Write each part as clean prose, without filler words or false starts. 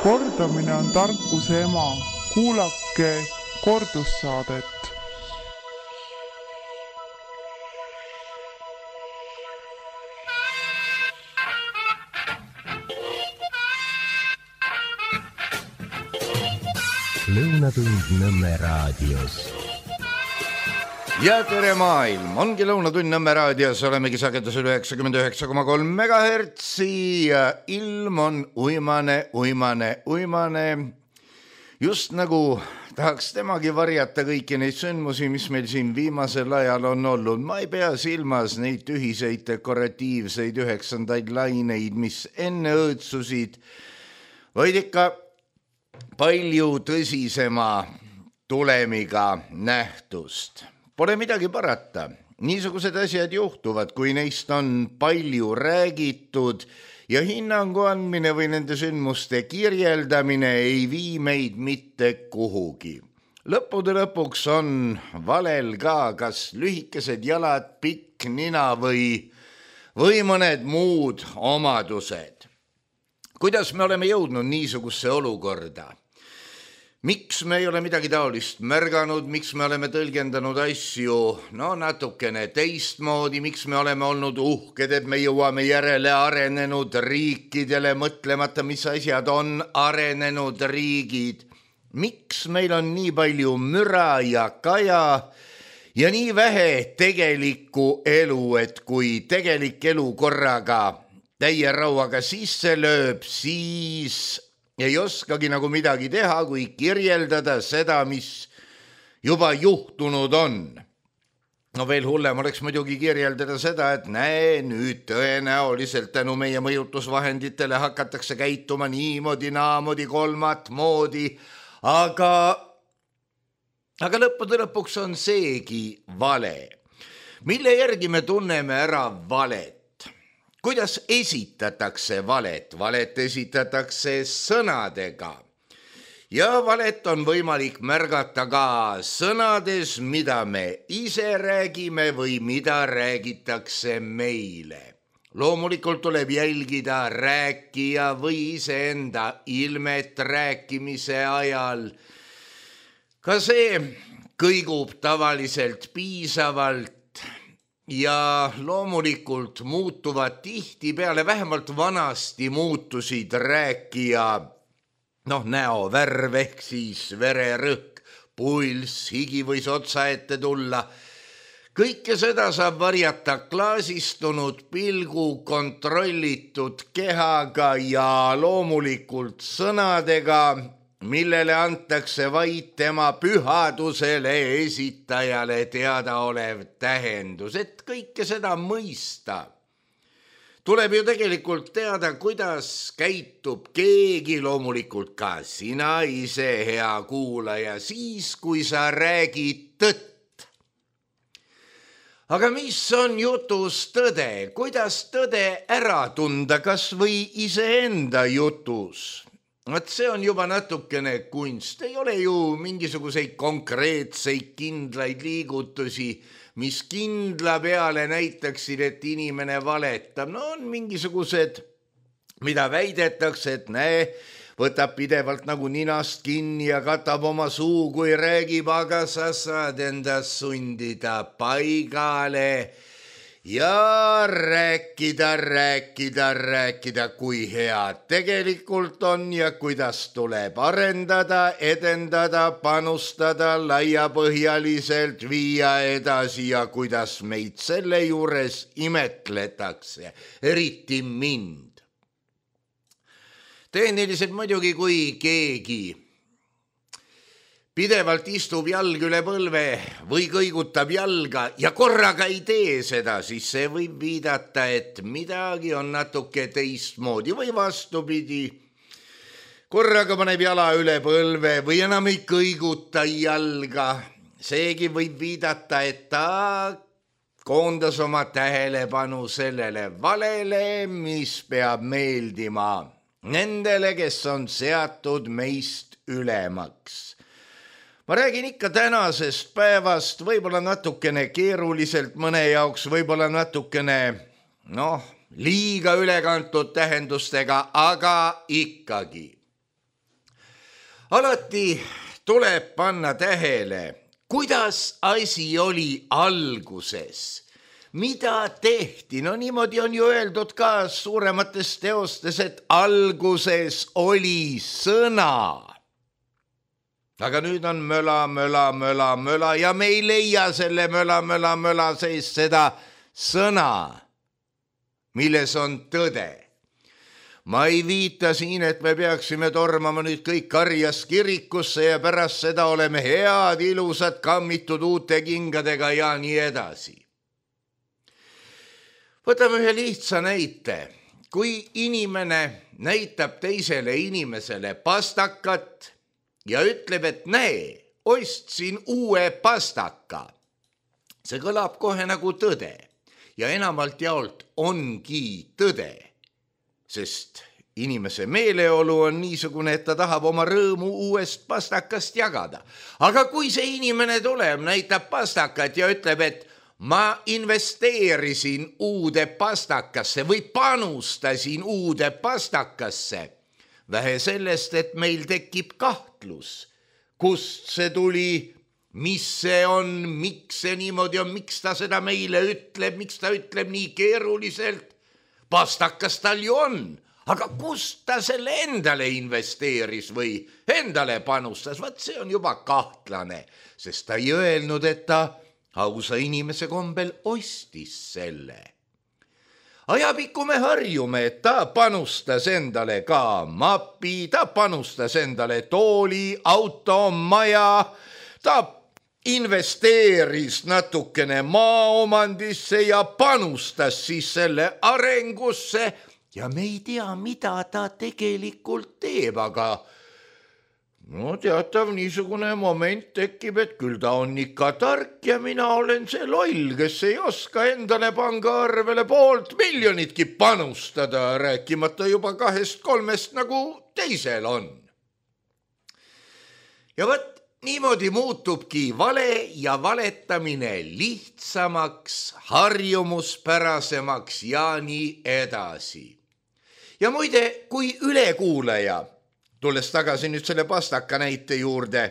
Kordamine on tarkuse ema. Kuulake kordussaadet. Lõunatund Nõmme raadios. Ja tere maailm, ongi Lõunatund Nõmme raadios, olemegi sagedusel 99,3 MHz ja ilm on uimane. Just nagu tahaks temagi varjata kõiki neid sündmusi, mis meil siin viimasel ajal on olnud. Ma ei pea silmas neid ühiseid dekoratiivseid 9. laineid, mis enne õõtsusid, vaid ikka palju tõsisema tulemiga nähtust. Pole midagi parata. Niisugused asjad juhtuvad, kui neist on palju räägitud ja hinnangu andmine või nende sündmuste kirjeldamine ei vii meid mitte kuhugi. Lõppude lõpuks on valel ka kas lühikesed jalad, pikk nina või mõned muud omadused. Kuidas me oleme jõudnud niisugusse olukorda? Miks me ei ole midagi taolist märganud, miks me oleme tõlgendanud asju natukene teistmoodi, miks me oleme olnud uhked, et me jõuame järele arenenud riikidele, mõtlemata, mis asjad on arenenud riigid. Miks meil on nii palju müra ja kaja ja nii vähe tegelikku elu, et kui tegelik elu korraga täie rauaga sisse lööb, siis ei oskagi nagu midagi teha, kui kirjeldada seda, mis juba juhtunud on. No veel hullem oleks muidugi kirjeldada seda, et nüüd tõenäoliselt tänu meie mõjutusvahenditele hakatakse käituma niimoodi, naamodi, kolmat moodi, aga lõppude lõpuks on seegi vale. Mille järgi me tunneme ära valet? Kuidas esitatakse valet? Valet esitatakse sõnadega. Ja valet on võimalik märgata ka sõnades, mida me ise räägime või mida räägitakse meile. Loomulikult tuleb jälgida rääkija või iseenda ilmet rääkimise ajal. Ka see kõigub tavaliselt piisavalt. Ja loomulikult muutuvad tihtipeale, vähemalt vanasti muutusid rääkija näovärv ehk siis vererõhk, pulss, higi võis otsa ette tulla. Kõike seda saab varjata klaasistunud pilgu, kontrollitud kehaga ja loomulikult sõnadega, millele antakse vaid tema pühadusele esitajale teadaolev tähendus, et kõike seda mõista. Tuleb ju tegelikult teada, kuidas käitub keegi, loomulikult ka sina ise, hea kuulaja, siis kui sa räägid tõtt. Aga mis on jutus tõde? Kuidas tõde ära tunda, kas või iseenda jutus? See on juba natukene kunst, ei ole ju mingisuguseid konkreetseid kindlaid liigutusi, mis kindla peale näitaksid, et inimene valetab. On mingisugused, mida väidetakse, et võtab pidevalt nagu ninast kinni ja katab oma suu, kui räägib, aga sa saad endast sundida paigale. Ja rääkida, kui hea tegelikult on ja kuidas tuleb arendada, edendada, panustada, laiapõhjaliselt viia edasi ja kuidas meid selle juures imetletakse, eriti mind. Tehniliselt muidugi, kui keegi pidevalt istub jalg üle põlve või kõigutab jalga ja korraga ei tee seda, siis see võib viidata, et midagi on natuke teistmoodi või vastupidi. Korraga paneb jala üle põlve või enam ei kõiguta jalga. Seegi võib viidata, et ta koondas oma tähelepanu sellele valele, mis peab meeldima nendele, kes on seatud meist ülemaks. Ma räägin ikka tänasest päevast, võib-olla natukene keeruliselt mõne jaoks, võib-olla natukene, liiga ülekantud tähendustega, aga ikkagi. alati tuleb panna tähele, kuidas asi oli alguses. Mida tehti? No niimoodi on ju öeldud ka suuremates teostes, et alguses oli sõna. Aga nüüd on möla ja me ei leia selle möla sees seda sõna, milles on tõde. Ma ei viita siin, et me peaksime tormama nüüd kõik karjas kirikusse ja pärast seda oleme head, ilusad, kammitud uute kingadega ja nii edasi. Võtame ühe lihtsa näite. Kui inimene näitab teisele inimesele pastakat ja ütleb, et näe, ostsin uue pastaka. See kõlab kohe nagu tõde ja enamalt jaolt ongi tõde, sest inimese meeleolu on niisugune, et ta tahab oma rõõmu uuest pastakast jagada. Aga kui see inimene tuleb, näitab pastakat ja ütleb, et ma investeerisin uude pastakasse või panustasin uude pastakasse, vähe sellest, et meil tekib kahtlus, kust see tuli, mis see on, miks see niimoodi on, miks ta seda meile ütleb, miks ta ütleb nii keeruliselt. Pastakas tal ju on, aga kust ta selle endale investeeris või endale panustas, vaat see on juba kahtlane, sest ta ei öelnud, et ta ausa inimese kombel ostis selle. Ajapikku me harjume, et ta panustas endale ka mapi, ta panustas endale tooli, auto, maja, ta investeeris natukene maaomandisse ja panustas siis selle arengusse ja me ei tea, mida ta tegelikult teeb, aga no teatav niisugune moment tekib, et küll ta on ikka tark ja mina olen see loll, kes ei oska endale pangaarvele 500 miljonitki panustada, rääkimata juba 2-3 nagu teisel on. Ja võt, niimoodi muutubki vale ja valetamine lihtsamaks, harjumuspärasemaks ja nii edasi. Ja muide, kui ülekuulaja, tulles tagasi nüüd selle pastaka näite juurde,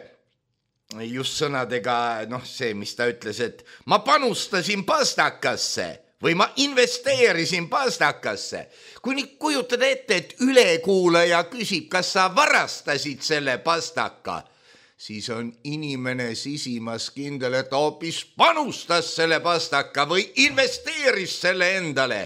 just sõnadega, see, mis ta ütles, et ma panustasin pastakasse või ma investeerisin pastakasse. Kui nüüd kujutad ette, et ülekuulaja küsib, kas sa varastasid selle pastaka, siis on inimene sisimas kindel, et hoopis panustas selle pastaka või investeeris selle endale.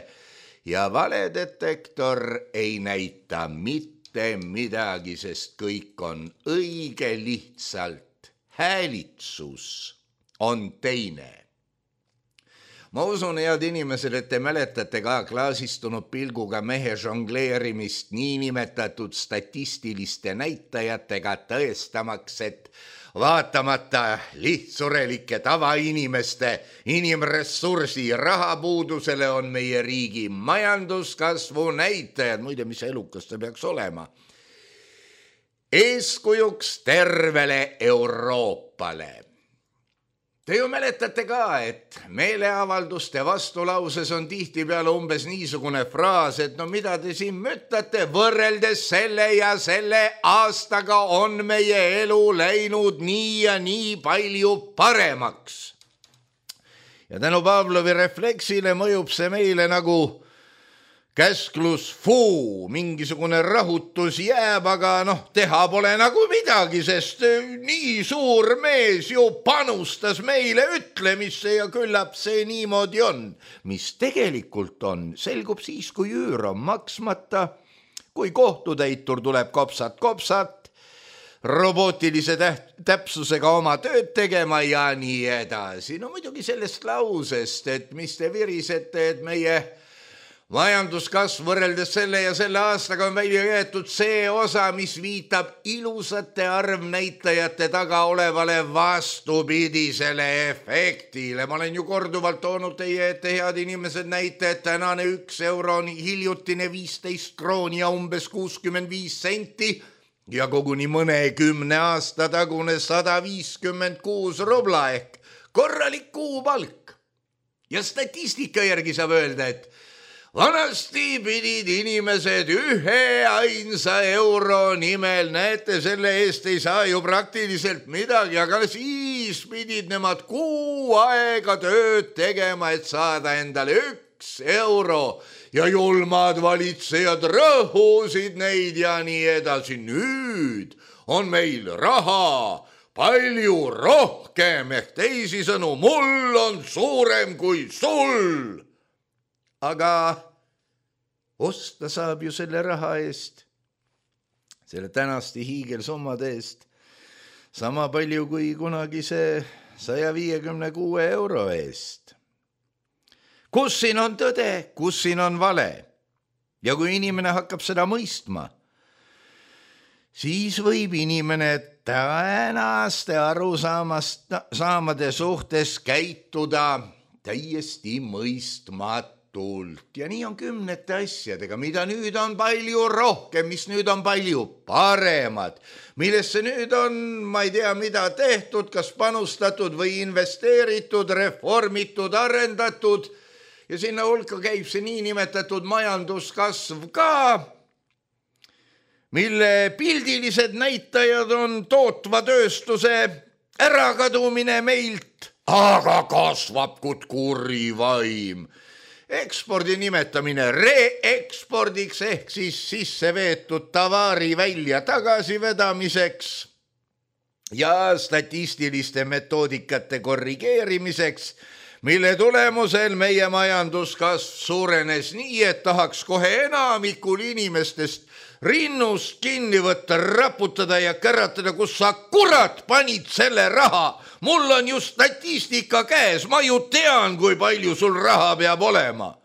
Ja valedetektor ei näita mitte midagi, sest kõik on õige, lihtsalt häälitsus on teine. Ma usun, head inimesed, et te mäletate ka klaasistunud pilguga mehe žongleerimist niinimetatud statistiliste näitajatega tõestamaks, et vaatamata lihtsurelike tavainimeste inimressursi rahapuudusele on meie riigi majanduskasvu näitajad, muide, mis elukas see peaks olema, eeskujuks tervele Euroopale. Te ju mäletate ka, et meeleavalduste vastulauses on tihtipeale umbes niisugune fraas, et no mida te siin mütate, võrreldes selle ja selle aastaga on meie elu läinud nii ja nii palju paremaks. Ja tänu Pavlovi refleksile mõjub see meile nagu käsklus fuu, mingisugune rahutus jääb, aga teha pole nagu midagi, sest nii suur mees ju panustas meile ütlemisse ja küllap see niimoodi on. Mis tegelikult on, selgub siis, kui üür on maksmata, kui kohtutäitur tuleb kopsat, robootilise täpsusega oma tööd tegema ja nii edasi. No muidugi sellest lausest, et mis te virisete, et meie majanduskasv võrreldes selle ja selle aastaga on välja jäetud see osa, mis viitab ilusate arvnäitajate taga olevale vastupidisele efektile. Ma olen ju korduvalt toonud teie ette, head inimesed, näite, et tänane 1 euro on hiljutine 15 krooni ja umbes 65 senti ja koguni mõne 10 aasta tagune 156 rubla ehk korralik kuupalk. Ja statistika järgi saab öelda, et vanasti pidid inimesed 1 euro nimel, näete, selle eest ei saa ju praktiliselt midagi, aga siis pidid nemad kuu aega tööd tegema, et saada endale 1 euro ja julmad valitsejad rõhusid neid ja nii edasi. Nüüd on meil raha palju rohkem, ehk teisisõnu, mul on suurem kui sul. Aga osta saab ju selle raha eest, selle tänaste hiigelsummade eest, sama palju kui kunagi see 156 euro eest. Kus siin on tõde, kus siin on vale? Ja kui inimene hakkab seda mõistma, siis võib inimene tänaste arusaamade suhtes käituda täiesti mõistmatult. Ja nii on kümnete asjadega, mida nüüd on palju rohkem, mis nüüd on palju paremad, millesse nüüd on, ma ei tea, mida tehtud, kas panustatud või investeeritud, reformitud, arendatud ja sinna hulka käib see niinimetatud majanduskasv ka, mille pildilised näitajad on tootva tööstuse ärakadumine meilt, aga kasvab kui kuri vaim. Ekspordi nimetamine reekspordiks ehk siis sisse veetud tavari välja tagasivedamiseks ja statistiliste metoodikate korrigeerimiseks, mille tulemusel meie majanduskasv suurenes nii, et tahaks kohe enamikul inimestest rinnust kinni võtta, raputada ja käratada, kus sa kurat panid selle raha. Mul on ju statistika käes, ma ju tean, kui palju sul raha peab olema.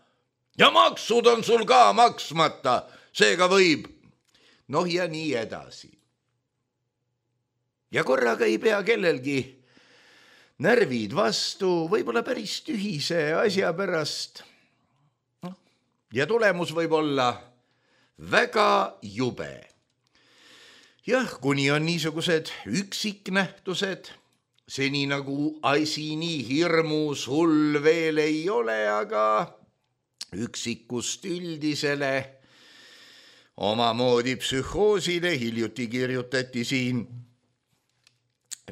Ja maksud on sul ka maksmata, seega võib. Noh ja nii edasi. Ja korraga ei pea kellelgi närvid vastu, võib-olla päris tühise asja pärast. Ja tulemus võib olla väga jube. Jah, kuni on niisugused üksiknähtused, seni nagu asi nii hirmus hull veel ei ole, aga üksikust üldisele omamoodi psühhoosile hiljuti kirjutati siin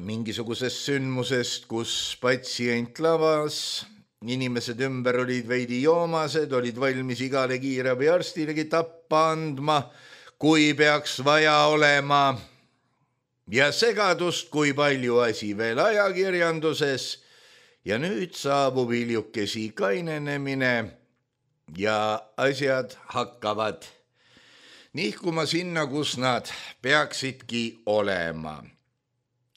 mingisugusest sündmusest, kus patsient lavas, inimesed ümber olid veidi joomased, olid valmis igale kiirabiarstilegi tappa andma, kui peaks vaja olema. Ja segadust, kui palju asi veel ajakirjanduses ja nüüd saabub hiljukesi kainenemine ja asjad hakkavad nihkuma sinna, kus nad peaksidki olema.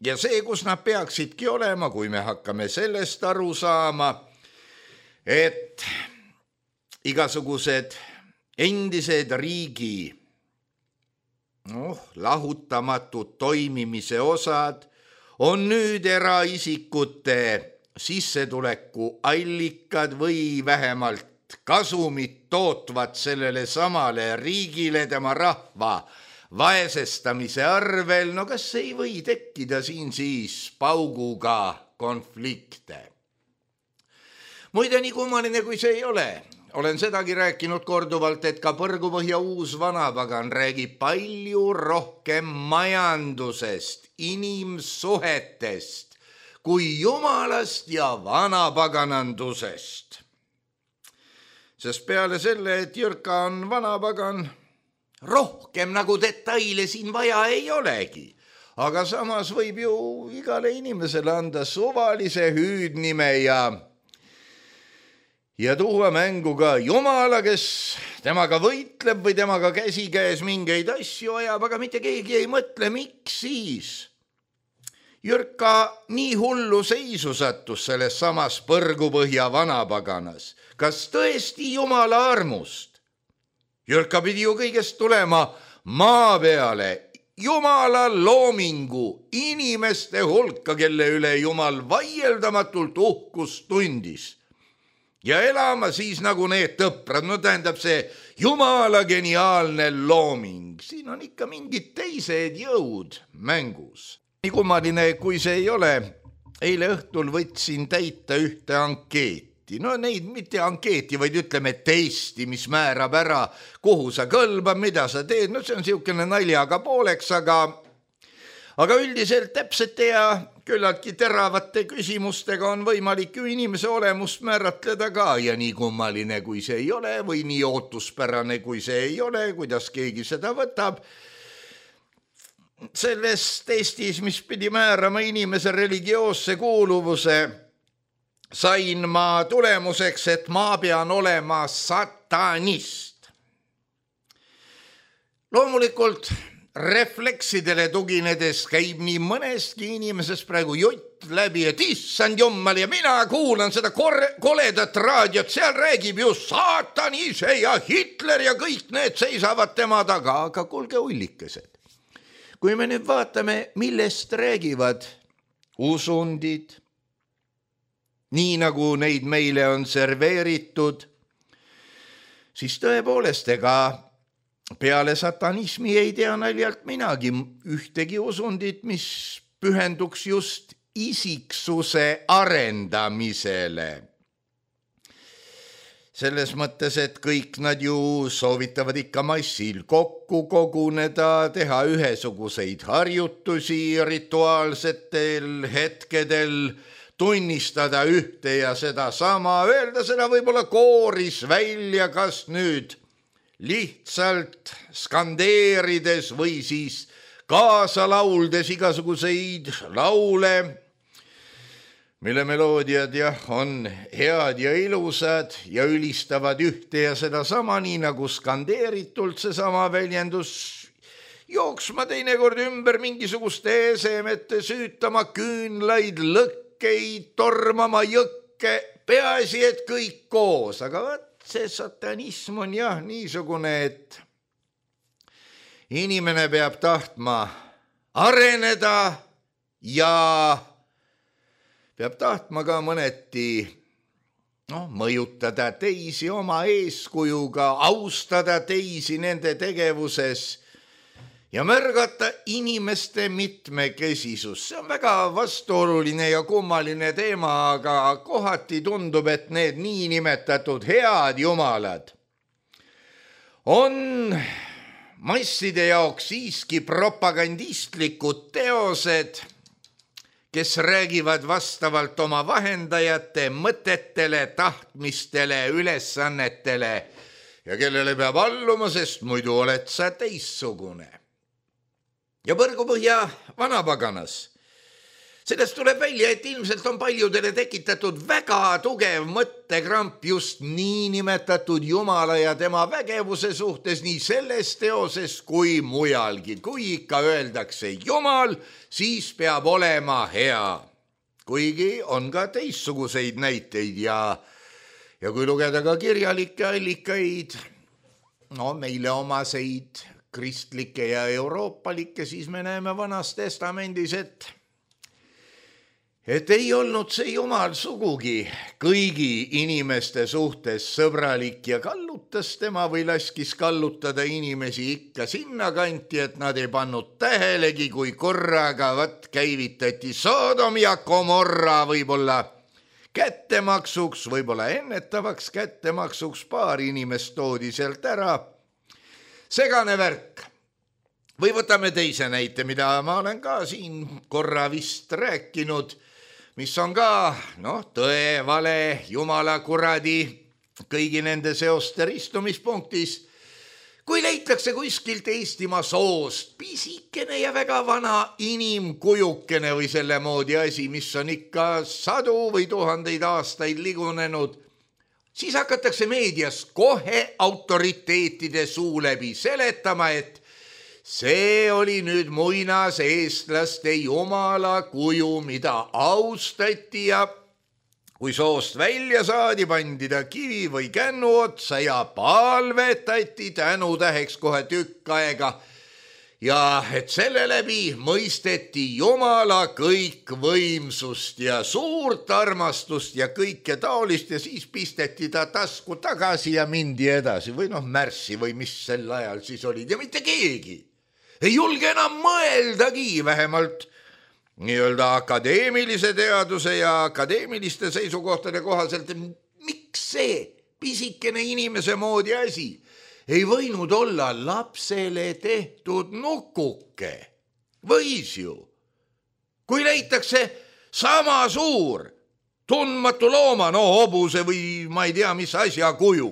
Ja see, kus nad peaksidki olema, kui me hakkame sellest aru saama, et igasugused endised riigi lahutamatud toimimise osad on nüüd eraisikute sissetuleku allikad või vähemalt kasumit tootvad sellele samale riigile tema rahva vaesestamise arvel. No kas ei või tekkida siin siis pauguga konflikte? Muide, nii kummaline kui see ei ole. Olen sedagi rääkinud korduvalt, et ka Põrgupõhja uus vanapagan räägib palju rohkem majandusest, inimsuhetest kui jumalast ja vanapaganandusest. Sest peale selle, et Jürka on vanapagan, rohkem nagu detaile siin vaja ei olegi. Aga samas võib ju igale inimesele anda suvalise hüüdnime ja tuua mängu ka Jumala, kes temaga võitleb või temaga käsikäes mingeid asju ajab, aga mitte keegi ei mõtle, miks siis. Jürka nii hullu seisu sattus selles samas Põrgupõhja vanapaganas. Kas tõesti Jumala armust? Jürka pidi ju kõigest tulema maa peale, Jumala loomingu, inimeste hulka, kelle üle Jumal vaieldamatult uhkust tundis. Ja elama siis nagu need tõprad, no tähendab see Jumala geniaalne looming. Siin on ikka mingid teised jõud mängus. Nii kummaline, kui see ei ole, eile õhtul võtsin täita ühte ankeeti. ankeeti. No neid mitte ankeeti, vaid ütleme testi, mis määrab ära, kuhu sa kõlbad, mida sa teed. No see on siukene naljaga pooleks, aga üldiselt täpsete ja küllaltki teravate küsimustega on võimalik ju inimese olemust määratleda ka ja nii kummaline, kui see ei ole või nii ootuspärane, kui see ei ole, kuidas keegi seda võtab. Selles testis, mis pidi määrama inimese religioosse kuuluvuse, sain ma tulemuseks, et ma pean olema satanist. Loomulikult refleksidele tuginedes käib nii mõnestki inimesest praegu jutt läbi, et issand jumal ja mina kuulan seda koledat raadiot, seal räägib ju saatan ise ja Hitler ja kõik need seisavad tema taga, aga kuulge ullikesed. Kui me nüüd vaatame, millest räägivad usundid, nii nagu neid meile on serveeritud, siis tõepoolest ega peale satanismi ei tea naljalt minagi ühtegi usundit, mis pühenduks just isiksuse arendamisele. Selles mõttes, et kõik nad ju soovitavad ikka massil kokku koguneda, teha ühesuguseid harjutusi rituaalsetel hetkedel, tunnistada ühte ja seda sama, öelda seda võib-olla kooris välja, kas nüüd lihtsalt skandeerides või siis kaasa lauldes igasuguseid laule, mille meloodiad on head ja ilusad ja ülistavad ühte ja seda sama, nii nagu skandeeritult seesama väljendus, jooksma teinekord ümber mingisuguste esemete, süütama küünlaid, lõkkeid, tormama jõkke, peaasi, et kõik koos, aga see satanism on jah niisugune, et inimene peab tahtma areneda ja peab tahtma ka mõneti mõjutada teisi oma eeskujuga, austada teisi nende tegevuses ja märgata inimeste mitmekesisus. See on väga vastuoluline ja kummaline teema, aga kohati tundub, et need niinimetatud head jumalad on masside jaoks siiski propagandistlikud teosed, kes räägivad vastavalt oma vahendajate mõtetele, tahtmistele, ülesannetele ja kellele peab alluma, sest muidu oled sa teissugune. Ja Põrgupõhja vanapaganas. Sellest tuleb välja, et ilmselt on paljudele tekitatud väga tugev mõttekramp just niinimetatud Jumala ja tema vägevuse suhtes nii selles teoses kui mujalgi. Kui ikka öeldakse Jumal, siis peab olema hea. Kuigi on ka teistsuguseid näiteid ja kui lugeda ka kirjalikke allikaid, meile omaseid kristlikke ja euroopalikke, siis me näeme Vanas Testamendis, et ei olnud see Jumal sugugi kõigi inimeste suhtes sõbralik ja kallutas tema või laskis kallutada inimesi ikka sinna kanti, et nad ei pannud tähelegi, kui korraga käivitati Sodom ja Gomorra võib-olla kättemaksuks, võib-olla ennetavaks kättemaksuks, paar inimest toodi sealt ära. Segane värk. Või võtame teise näite, mida ma olen ka siin korra vist rääkinud, mis on ka tõe, vale, jumala kuradi, kõigi nende seoste ristumispunktis. Kui leitakse kuskilt Eestimaa soost pisikene ja väga vana inimkujukene või selle moodi asi, mis on ikka sadu või tuhandeid aastaid ligunenud, siis hakatakse meedias kohe autoriteetide suu läbi seletama, et see oli nüüd muinas eestlaste jumala kuju, mida austati ja kui soost välja saadi, pandi ta kivi või kännu otsa ja palvetati tänutäheks kohe tükk aega. Ja et selle läbi mõisteti Jumala kõikvõimsust ja suurt armastust ja kõike taolist ja siis pisteti ta tasku tagasi ja mindi edasi või märssi või mis sel ajal siis olid ja mitte keegi ei julge enam mõeldagi, vähemalt nii-öelda akadeemilise teaduse ja akadeemiliste seisukohtade kohaselt see pisikene inimese moodi asi ei võinud olla lapsele tehtud nukuke? Võis ju. Kui leitakse sama suur tundmatu looma, hobuse või ma ei tea, mis asja kuju,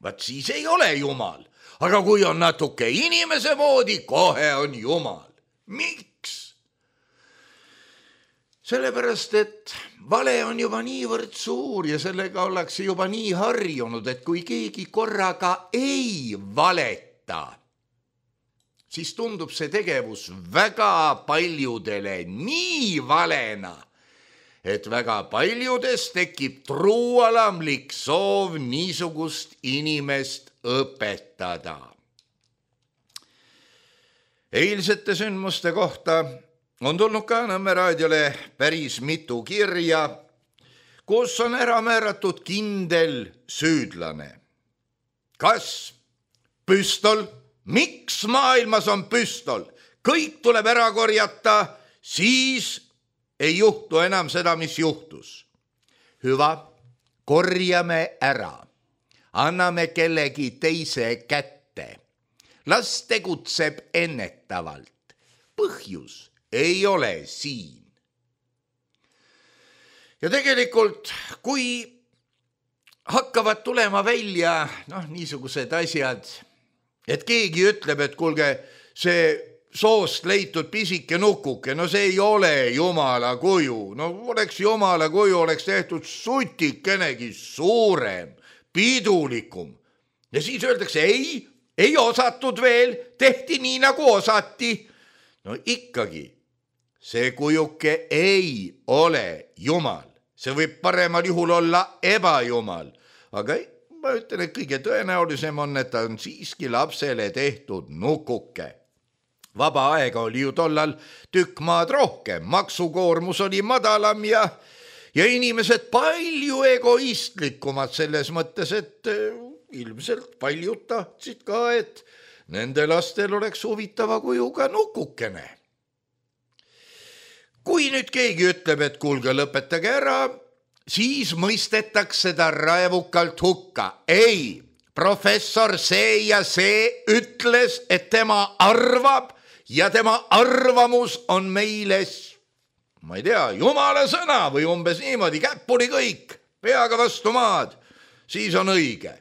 vaat siis ei ole jumal. Aga kui on natuke inimese moodi, kohe on jumal. Miks? Sellepärast, et vale on juba niivõrd suur ja sellega ollakse juba nii harjunud, et kui keegi korraga ei valeta, siis tundub see tegevus väga paljudele nii valena, et väga paljudes tekib truualamlik soov niisugust inimest õpetada. Eilsete sündmuste kohta on tulnud ka Nõmme raadiole päris mitu kirja, kus on ära määratud kindel süüdlane. Kas püstol? Miks maailmas on püstol? Kõik tuleb ära korjata, siis ei juhtu enam seda, mis juhtus. Hüva, korjame ära. Anname kellegi teise kätte. Las tegutseb ennetavalt. Põhjus ei ole siin. Ja tegelikult, kui hakkavad tulema välja niisugused asjad, et keegi ütleb, et kuulge, see soost leitud pisike nukuke, see ei ole jumala kuju. Oleks jumala kuju, oleks tehtud sutikenegi suurem, pidulikum. Ja siis öeldakse, ei osatud veel, tehti nii nagu osati. Ikkagi, see kujuke ei ole jumal. See võib paremal juhul olla ebajumal. Aga ma ütlen, et kõige tõenäolisem on, et ta on siiski lapsele tehtud nukuke. Vaba aega oli ju tollal tükk maad rohkem, maksukoormus oli madalam ja inimesed palju egoistlikumad selles mõttes, et ilmselt paljud tahtsid ka, et nende lastel oleks huvitava kujuga nukukene. Kui nüüd keegi ütleb, et kuulge, lõpetage ära, siis mõistetakse ta raevukalt hukka. Ei, professor see ja see ütles, et tema arvab ja tema arvamus on meile, ma ei tea, jumala sõna või umbes niimoodi, käppuli kõik, peaga vastu maad, siis on õige.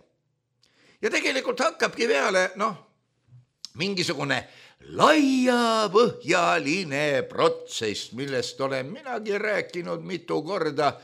Ja tegelikult hakkabki peale, mingisugune laiapõhjaline protsess, millest olen minagi rääkinud mitu korda,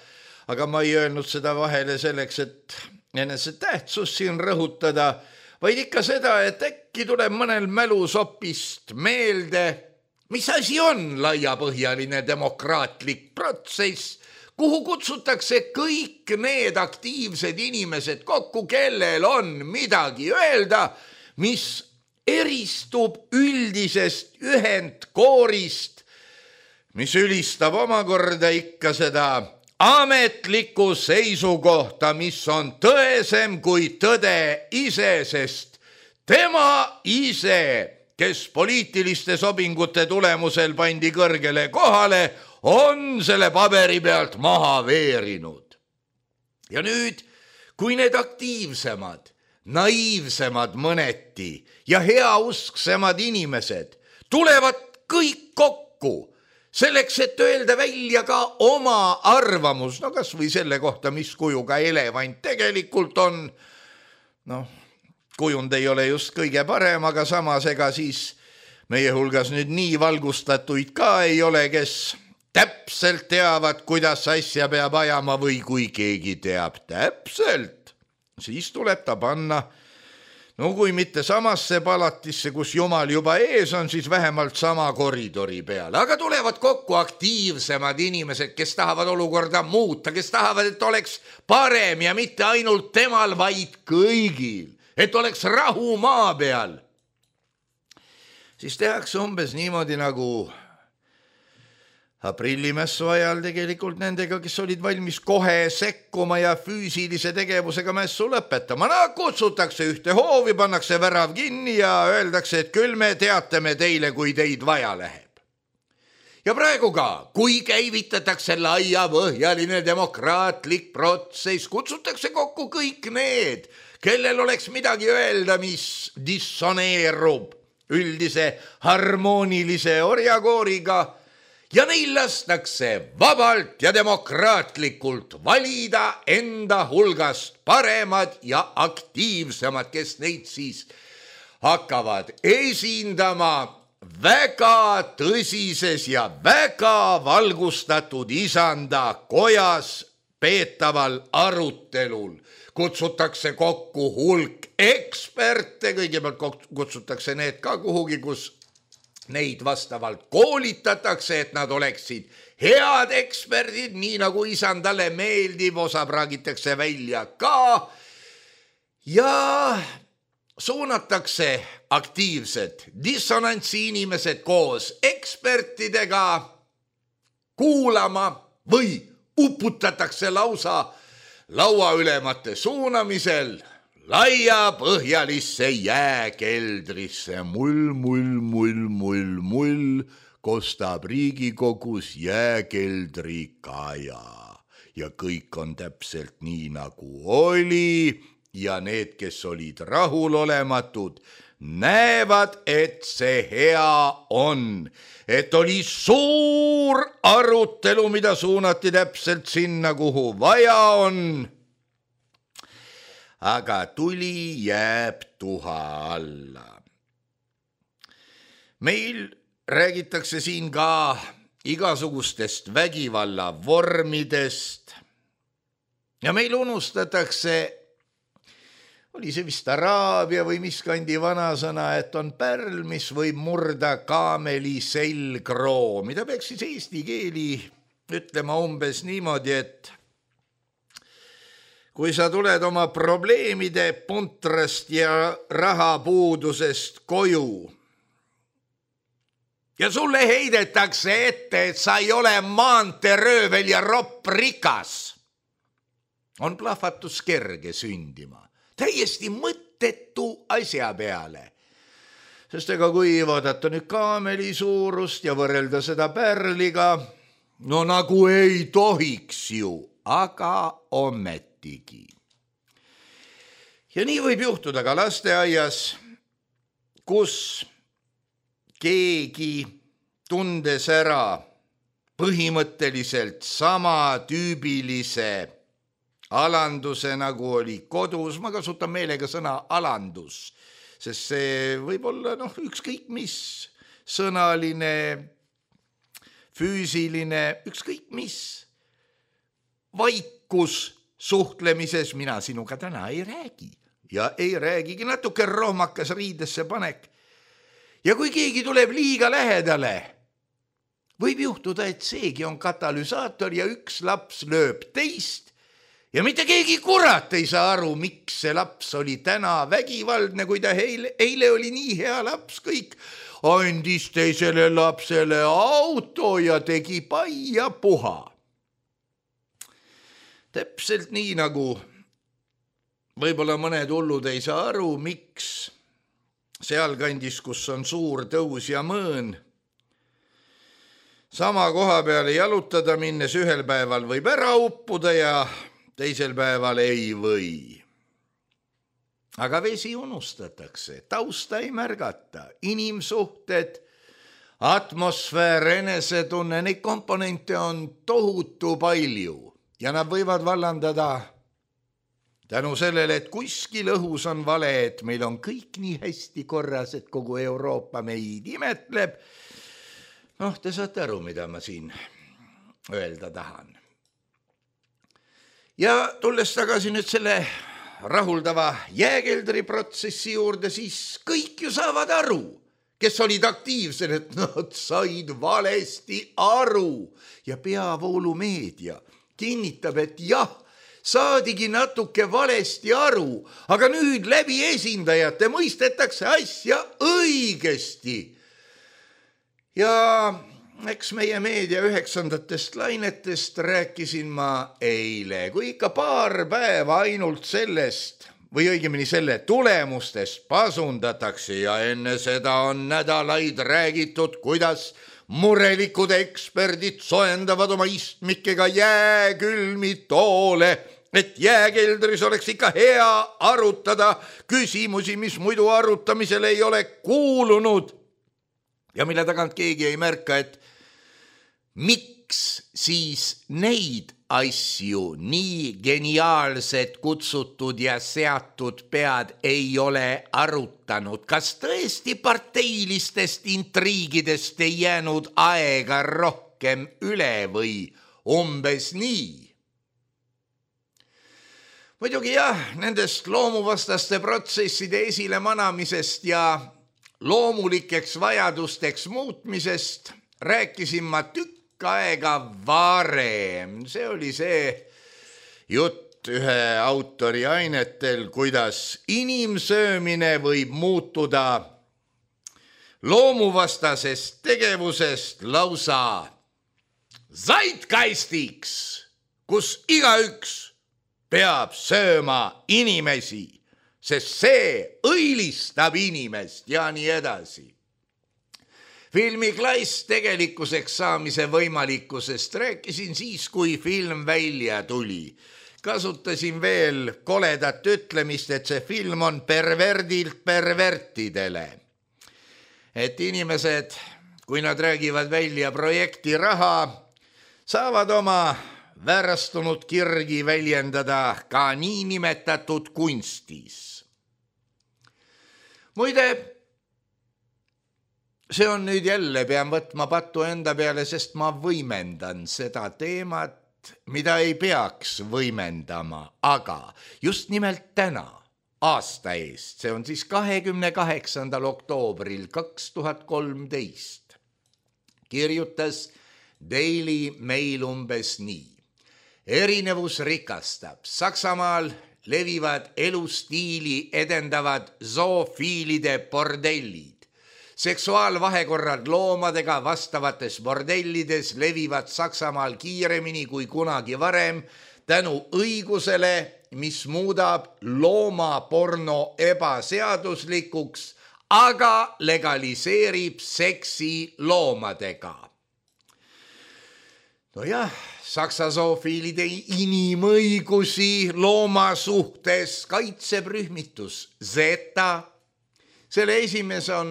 aga ma ei öelnud seda vahele selleks, et enese tähtsust siin rõhutada, vaid ikka seda, et äkki tuleb mõnel mälusopist meelde, mis asi on laiapõhjaline demokraatlik protsess, kuhu kutsutakse kõik need aktiivsed inimesed kokku, kellel on midagi öelda, mis eristub üldisest ühendkoorist, mis ülistab omakorda ikka seda ametlikku seisukohta, mis on tõesem kui tõde ise, sest tema ise, kes poliitiliste sobingute tulemusel pandi kõrgele kohale, on selle paberi pealt maha veerinud. Ja nüüd, kui need aktiivsemad, naiivsemad mõneti ja heausksemad inimesed tulevad kõik kokku selleks, et öelda välja ka oma arvamus, kas või selle kohta, mis kujuga elevant tegelikult on. Kujund ei ole just kõige parem, aga samas ega siis meie hulgas nüüd nii valgustatuid ka ei ole, kes täpselt teavad, kuidas asja peab ajama või kui keegi teab täpselt, siis tuleb ta panna, kui mitte samasse palatisse, kus jumal juba ees on, siis vähemalt sama koridori peale. Aga tulevad kokku aktiivsemad inimesed, kes tahavad olukorda muuta, kes tahavad, et oleks parem ja mitte ainult temal, vaid kõigil, et oleks rahu maa peal. Siis tehakse umbes niimoodi nagu aprillimessu ajal tegelikult nendega, kes olid valmis kohe sekkuma ja füüsilise tegevusega mässu lõpetama. Kutsutakse ühte hoovi, pannakse värav kinni ja öeldakse, et küll me teatame teile, kui teid vaja läheb. Ja praegu ka, kui käivitatakse laiapõhjaline demokraatlik protsess, kutsutakse kokku kõik need, kellel oleks midagi öelda, mis dissoneerub üldise harmoonilise orjakooriga ja neil lastakse vabalt ja demokraatlikult valida enda hulgast paremad ja aktiivsemad, kes neid siis hakkavad esindama väga tõsises ja väga valgustatud isanda kojas peetaval arutelul. Kutsutakse kokku hulk eksperte, kõigepealt kutsutakse need ka kuhugi, kus neid vastavalt koolitatakse, et nad oleksid head eksperdid, nii nagu isandale meeldib, osa praagitakse välja ka ja suunatakse aktiivsed dissonantsi inimesed koos ekspertidega kuulama või uputatakse lausa lauaülemate suunamisel laiapõhjalisse jääkeldrisse. Mull, kostab Riigikogus jääkeldri kaja ja kõik on täpselt nii nagu oli. Ja need, kes olid rahulolematud, näevad, et see hea on. Et oli suur arutelu, mida suunati täpselt sinna, kuhu vaja on. Aga tuli jääb tuha alla. Meil räägitakse siin ka igasugustest vägivalla vormidest. Ja meil unustatakse, oli see vist araabia või mis kandi vanasõna, et on pärl, mis võib murda kaameli selgroo, mida peaks siis eesti keeli ütlema umbes niimoodi, et kui sa tuled oma probleemide puntrast ja rahapuudusest koju ja sulle heidetakse ette, et sa ei ole maanteeröövel ja ropp rikas, on plahvatus kerge sündima. Täiesti mõttetu asja peale. Sest ega kui vaadata nüüd kaameli suurust ja võrrelda seda pärliga, no nagu ei tohiks ju, aga ometigi. Ja nii võib juhtuda ka lasteaias, kus keegi tundes ära põhimõtteliselt sama tüübilise alanduse, nagu oli kodus, ma kasutan meelega sõna alandus, sest see võib olla ükskõik mis sõnaline, füüsiline, ükskõik mis vaikus suhtlemises, mina sinuga täna ei räägi ja ei räägigi, natuke rohmakas riidesse panek. Ja kui keegi tuleb liiga lähedale, võib juhtuda, et seegi on katalüsaator ja üks laps lööb teist. Ja mitte keegi kurat ei saa aru, miks see laps oli täna vägivaldne, kui ta eile oli nii hea laps, kõik andis teisele lapsele auto ja tegi pai ja puha. Täpselt nii nagu võib-olla mõned hullud ei saa aru, miks sealkandis, kus on suur tõus ja mõõn, sama koha peale jalutada minnes ühel päeval võib ära uppuda ja teisel päeval ei või. Aga vesi unustatakse, tausta ei märgata, inimsuhted, atmosfäär, enesetunne, neid komponente on tohutu palju ja nad võivad vallandada tänu sellele, et kuskil õhus on vale, et meil on kõik nii hästi korras, et kogu Euroopa meid imetleb. Te saate aru, mida ma siin öelda tahan. Ja tulles tagasi nüüd selle rahuldava jääkeldri protsessi juurde, siis kõik ju saavad aru, kes olid aktiivsed, et nad said valesti aru. Ja peavoolumeedia kinnitab, et jah, saadigi natuke valesti aru, aga nüüd läbi esindajate mõistetakse asja õigesti. Ja eks meie meedia 9. lainetest rääkisin ma eile, kui ikka paar päeva ainult sellest või õigemini selle tulemustest pasundatakse ja enne seda on nädalaid räägitud, kuidas murelikud eksperdid soendavad oma istmikega jääkülmi toole, et jääkeldris oleks ikka hea arutada küsimusi, mis muidu arutamisele ei ole kuulunud ja mille tagant keegi ei märka, et miks siis neid asju nii geniaalsed kutsutud ja seatud pead ei ole arutanud. Kas tõesti parteilistest intriigidest ei jäänud aega rohkem üle või umbes nii? Muidugi jah, nendest loomuvastaste protsesside esile manamisest ja loomulikeks vajadusteks muutmisest rääkisin ma tükk aega varem. See oli see jutt ühe autori ainetel, kuidas inimsöömine võib muutuda loomuvastasest tegevusest lausa zeitgeistiks, kus igaüks peab sööma inimesi, sest see õilistab inimest ja nii edasi. Filmi Klass tegelikkuseks saamise võimalikkusest rääkisin siis, kui film välja tuli. Kasutasin veel koledat ütlemist, et see film on perverdilt pervertidele. Et inimesed, kui nad räägivad välja projekti raha, saavad oma väärastunud kirgi väljendada ka niinimetatud kunstis. Muide, see on nüüd jälle, pean võtma pattu enda peale, sest ma võimendan seda teemat, mida ei peaks võimendama, aga just nimelt täna, aasta eest, see on siis 28. oktoobril 2013, kirjutas Daily Mail umbes nii. Erinevus rikastab. Saksamaal levivad elustiili edendavad zoofiilide bordellid. Seksuaalvahekorrad loomadega vastavates bordellides levivad Saksamaal kiiremini kui kunagi varem tänu õigusele, mis muudab loomaporno ebaseaduslikuks, aga legaliseerib seksi loomadega. Nojah, Saksa zoofiilide inimõigusi looma suhtes kaitseb rühmitus Zeta. Selle esimees on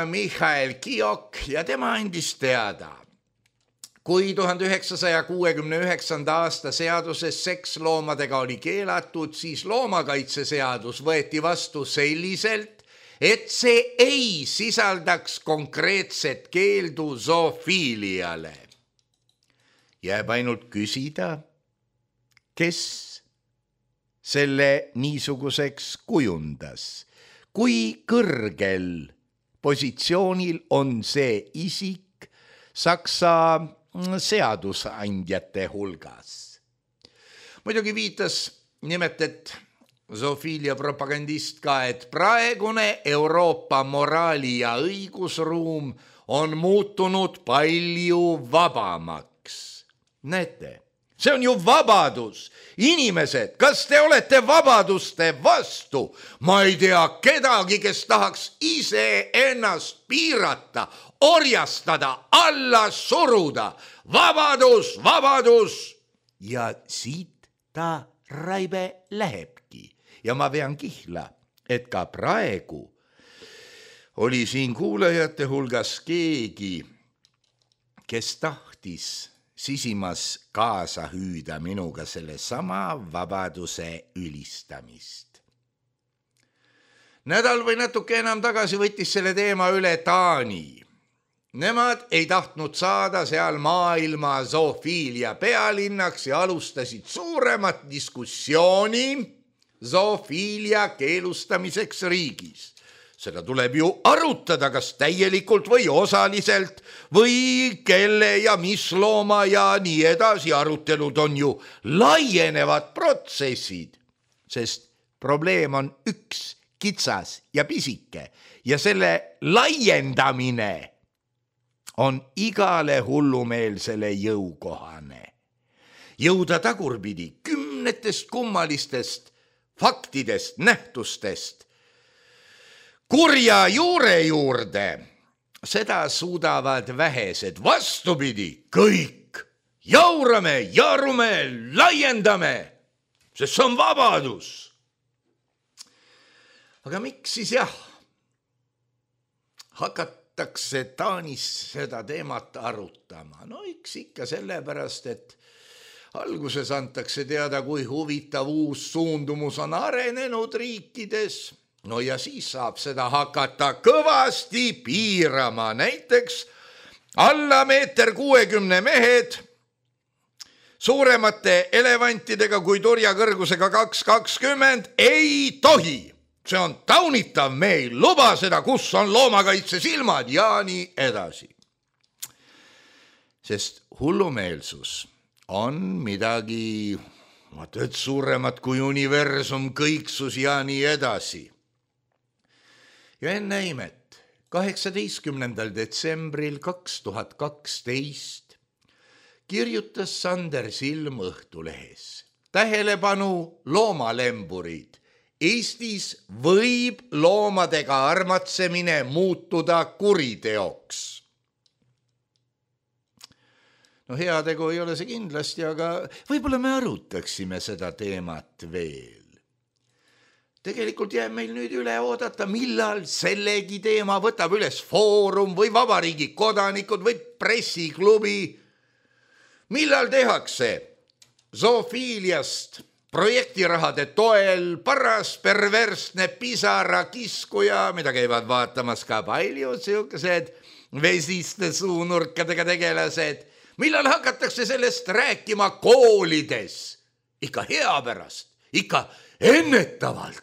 Michael Kiok ja tema andis teada. Kui 1969. aasta seaduses seksloomadega oli keelatud, siis loomakaitseseadus võeti vastu selliselt, et see ei sisaldaks konkreetset keeldu zoofiiliale. Jääb ainult küsida, kes selle niisuguseks kujundas. Kui kõrgel positsioonil on see isik Saksa seadusandjate hulgas. Muidugi viitas nimetet zoofiilia propagandist ka, et praegune Euroopa moraali ja õigusruum on muutunud palju vabamaks. Näete, see on ju vabadus. Inimesed, kas te olete vabaduste vastu? Ma ei tea kedagi, kes tahaks ise ennast piirata, orjastada, alla suruda. Vabadus, vabadus! Ja siit ta raibe lähebki. Ja ma vean kihla, et ka praegu oli siin kuulajate hulgas keegi, kes tahtis sisimas kaasa hüüda minuga selle sama vabaduse ülistamist. Nädal või natuke enam tagasi võttis selle teema üle Taani. Nemad ei tahtnud saada seal maailma zoofiilia pealinnaks ja alustasid suuremat diskussiooni zoofiilia keelustamiseks riigis. Seda tuleb ju arutada, kas täielikult või osaliselt või kelle ja mis looma ja nii edasi. Arutelud on ju laienevad protsessid, sest probleem on üks, kitsas ja pisike ja selle laiendamine on igale hullumeelsele jõukohane. Jõuda tagurpidi kümnetest kummalistest faktidest, nähtustest kurja juure juurde seda suudavad vähesed, vastupidi, kõik. Jaurame, jarume, laiendame, sest see on vabadus. Aga miks siis hakatakse Taanis seda teemat arutama? No eks ikka sellepärast, et alguses antakse teada, kui huvitav uus suundumus on arenenud riikides. No ja siis saab seda hakata kõvasti piirama. Näiteks alla 1,60 mehed suuremate elevantidega kui turjakõrgusega 2,20 ei tohi. See on taunitav, me ei luba seda, kus on loomakaitse silmad ja nii edasi. Sest hullumeelsus on midagi suuremat kui universum, kõiksus ja nii edasi. Ja enne imet, 18. detsembril 2012 kirjutas Sander Silm Õhtulehes. Tähelepanu loomalemburid. Eestis võib loomadega armatsemine muutuda kuriteoks. No heategu ei ole see kindlasti, aga võib-olla me arutaksime seda teemat veel. Tegelikult jääb meil nüüd üle oodata, millal sellegi teema võtab üles Foorum või Vabariigi kodanikud või pressiklubi. Millal tehakse zoofiiliast projektirahade toel paras perversne pisara kiskuja, mida käivad vaatamas ka palju siukesed vesiste suunurkadega tegelased. Millal hakatakse sellest rääkima koolides? Ikka hea pärast, ikka ennetavalt.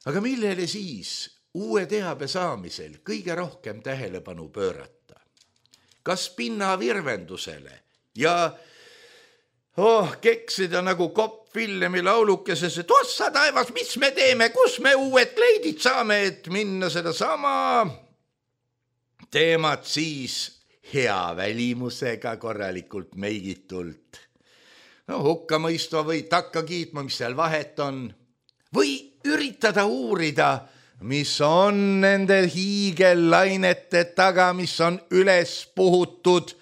Aga millele siis uue teabe saamisel kõige rohkem tähelepanu pöörata? Kas pinnavirvendusele ja keksida nagu Kopp Villemi laulukeses, et ossa taevas, mis me teeme, kus me uued kleidid saame, et minna seda sama teemat siis hea välimusega korralikult meigitult. No hukkamõistva või takka kiitma, mis seal vahet on. Või üritada uurida, mis on nende hiigellainete taga, mis on üles puhutud,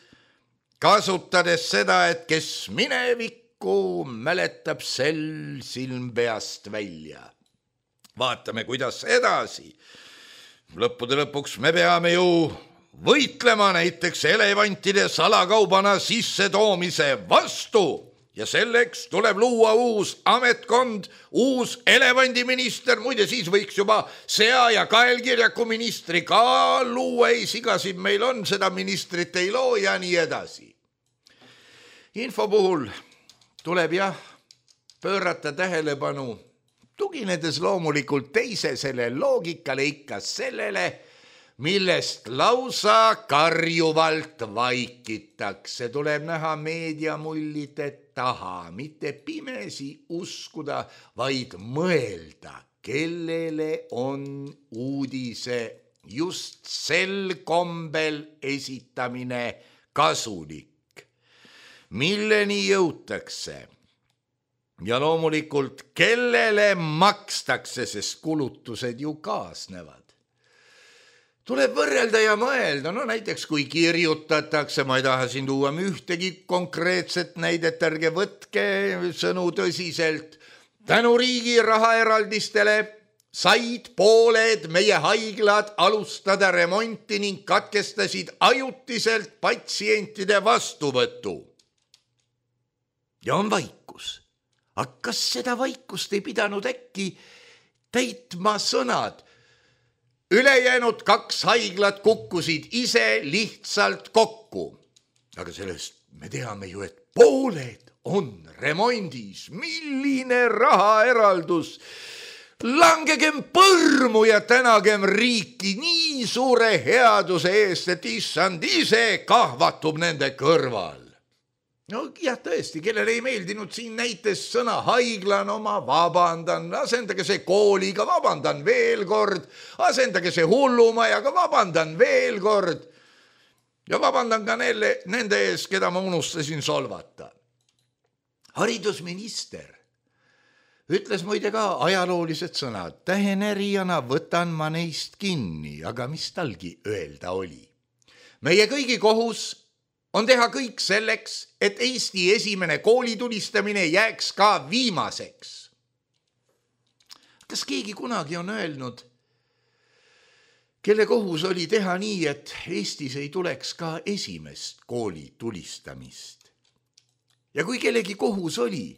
kasutades seda, et kes minevikku mäletab, sel silm peast välja. Vaatame, kuidas edasi. Lõppude lõpuks me peame ju võitlema näiteks elevantide salakaubana sissetoomise vastu ja selleks tuleb luua uus ametkond, uus elevandiminister, muide siis võiks juba sea- ja kaelkirjaku ministri ka luua, ei sigasid meil on, seda ministrit ei loo ja nii edasi. Info puhul tuleb pöörata tähelepanu, tuginedes loomulikult teisesele loogikale ikka sellele, millest lausa karjuvalt vaikitakse. Tuleb näha meediamullide taha, mitte pimesi uskuda, vaid mõelda, kellele on uudise just sel kombel esitamine kasulik. Milleni jõutakse ja loomulikult kellele makstakse, sest kulutused ju kaasnevad. Tuleb võrrelda ja mõelda, no näiteks kui kirjutatakse, ma ei taha siin tuua ühtegi konkreetset näidet, ärge võtke sõnu tõsiselt, tänu riigi rahaeraldistele said pooled meie haiglad alustada remonti ning katkestasid ajutiselt patsientide vastuvõtu. Ja on vaikus. Aga kas seda vaikust ei pidanud äkki täitma sõnad? Ülejäänud 2 haiglat kukkusid ise lihtsalt kokku. Aga sellest me teame ju, et pooled on remondis. Milline rahaeraldus? Langegem põrmu ja tänagem riiki nii suure headuse eest, et issand ise kahvatub nende kõrval. No jah, tõesti, kellele ei meeldinud siin näites sõna haigla, no ma vabandan, asendage see kooliga, vabandan veel kord, asendage see hullumajaga, vabandan veel kord ja vabandan ka nende ees, keda ma unustasin solvata. Haridusminister Ütles muide ka ajaloolised sõnad, tähenerijana võtan ma neist kinni, aga mis talgi öelda oli. Meie kõigi kohus on teha kõik selleks, et Eesti esimene koolitulistamine jääks ka viimaseks. Kas keegi kunagi on öelnud, kelle kohus oli teha nii, et Eestis ei tuleks ka esimest koolitulistamist? Ja kui kellegi kohus oli,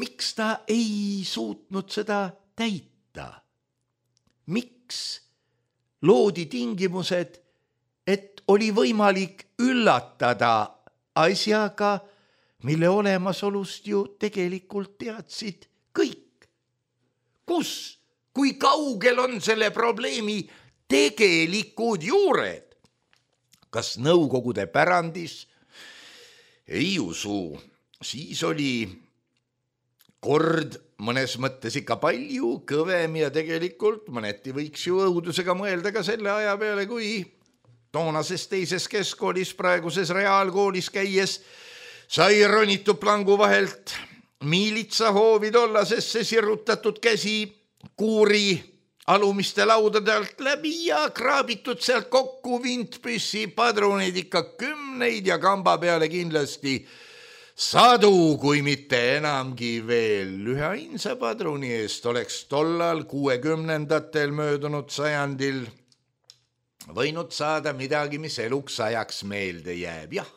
miks ta ei suutnud seda täita? Miks loodi tingimused, et oli võimalik üllatada asjaga, mille olemasolust ju tegelikult teadsid kõik? Kus, kui kaugel on selle probleemi tegelikud juured? Kas Nõukogude pärandis? Ei usu. Siis oli kord mõnes mõttes ikka palju kõvem ja tegelikult mõneti võiks ju õudusega mõelda ka selle aja peale, kui toonases teises keskkoolis, praeguses reaalkoolis käies sai ronitud plangu vahelt miilitsa hoovi tollasesse sirrutatud käsi kuuri alumiste laudade alt läbi ja kraabitud sealt kokku vintpüssi padruneid ikka 10 ja kamba peale kindlasti 100, kui mitte enamgi veel. Ühe ainsa padruni eest oleks tollal 60-ndatel möödunud sajandil võinud saada midagi, mis eluks ajaks meelde jääb. Jah,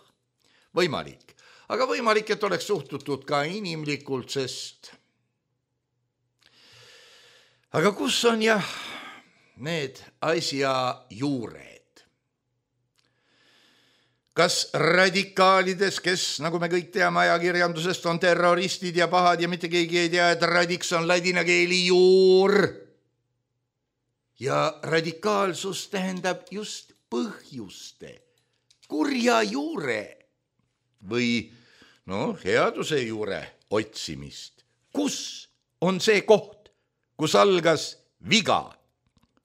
võimalik. Aga võimalik, et oleks suhtutud ka inimlikult, sest aga kus on need asja juured? Kas radikaalides, kes, nagu me kõik teame ajakirjandusest, on terroristid ja pahad ja mitte keegi ei tea, et radiks on ladina keeli juur? Ja radikaalsus tähendab just põhjuste, kurja juure või headuse juure otsimist. Kus on see koht, kus algas viga,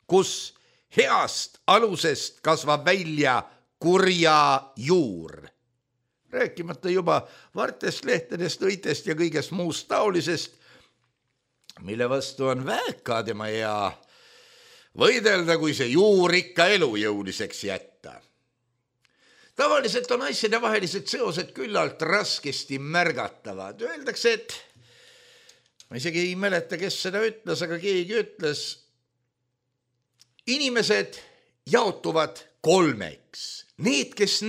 kus heast alusest kasvab välja kurja juur? Rääkimata juba vartest, lehtedest, õitest ja kõigest muust taolisest, mille vastu on väga tema hea võidelda, kui see juur ikka elujõuliseks jätta. Tavaliselt on asjade vahelised seosed küllalt raskesti märgatavad. Öeldakse, et ma isegi ei mäleta, kes seda ütles, aga keegi ütles, inimesed jaotuvad 3. Need, kes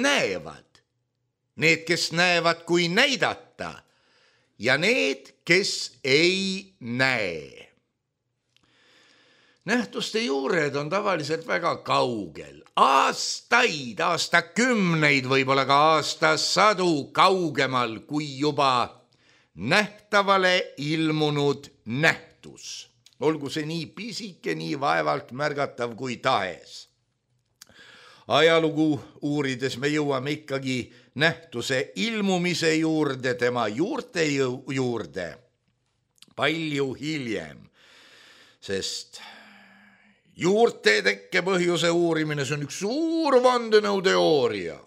näevad kui näidata ja need, kes ei näe. Nähtuste juured on tavaliselt väga kaugel. Aastaid, aastakümneid, võib-olla ka aastasadu kaugemal kui juba nähtavale ilmunud nähtus. Olgu see nii pisike, nii vaevalt märgatav kui tahes. Ajalugu uurides me jõuame ikkagi nähtuse ilmumise juurde, tema juurte juurde palju hiljem, sest juurte tekke põhjuse uurimine, see on üks suur vandenõuteooria.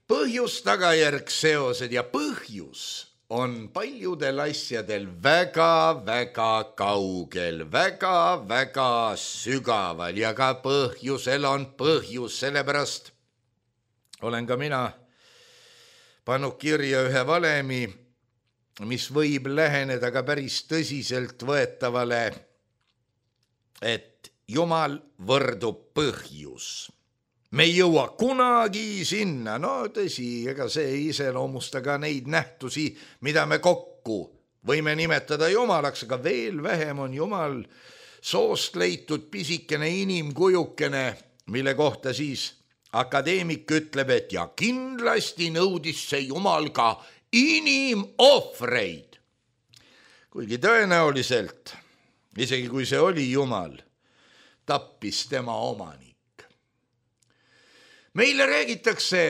Põhjus, tagajärg, seosed ja põhjus on paljudel asjadel väga-väga kaugel, väga-väga sügaval ja ka põhjusel on põhjus, sellepärast olen ka mina pannud kirja ühe valemi, mis võib läheneda ka päris tõsiselt võetavale, et Jumal võrdub põhjus. Me ei jõua kunagi sinna, tõsi, ega see ei iseloomusta ka neid nähtusi, mida me kokku võime nimetada Jumalaks, aga veel vähem on Jumal soost leitud pisikene inimkujukene, mille kohta siis akadeemik ütleb, et ja kindlasti nõudis see Jumal ka inimohvreid. Kuigi tõenäoliselt, isegi kui see oli Jumal, tappis tema omanik. Meile räägitakse,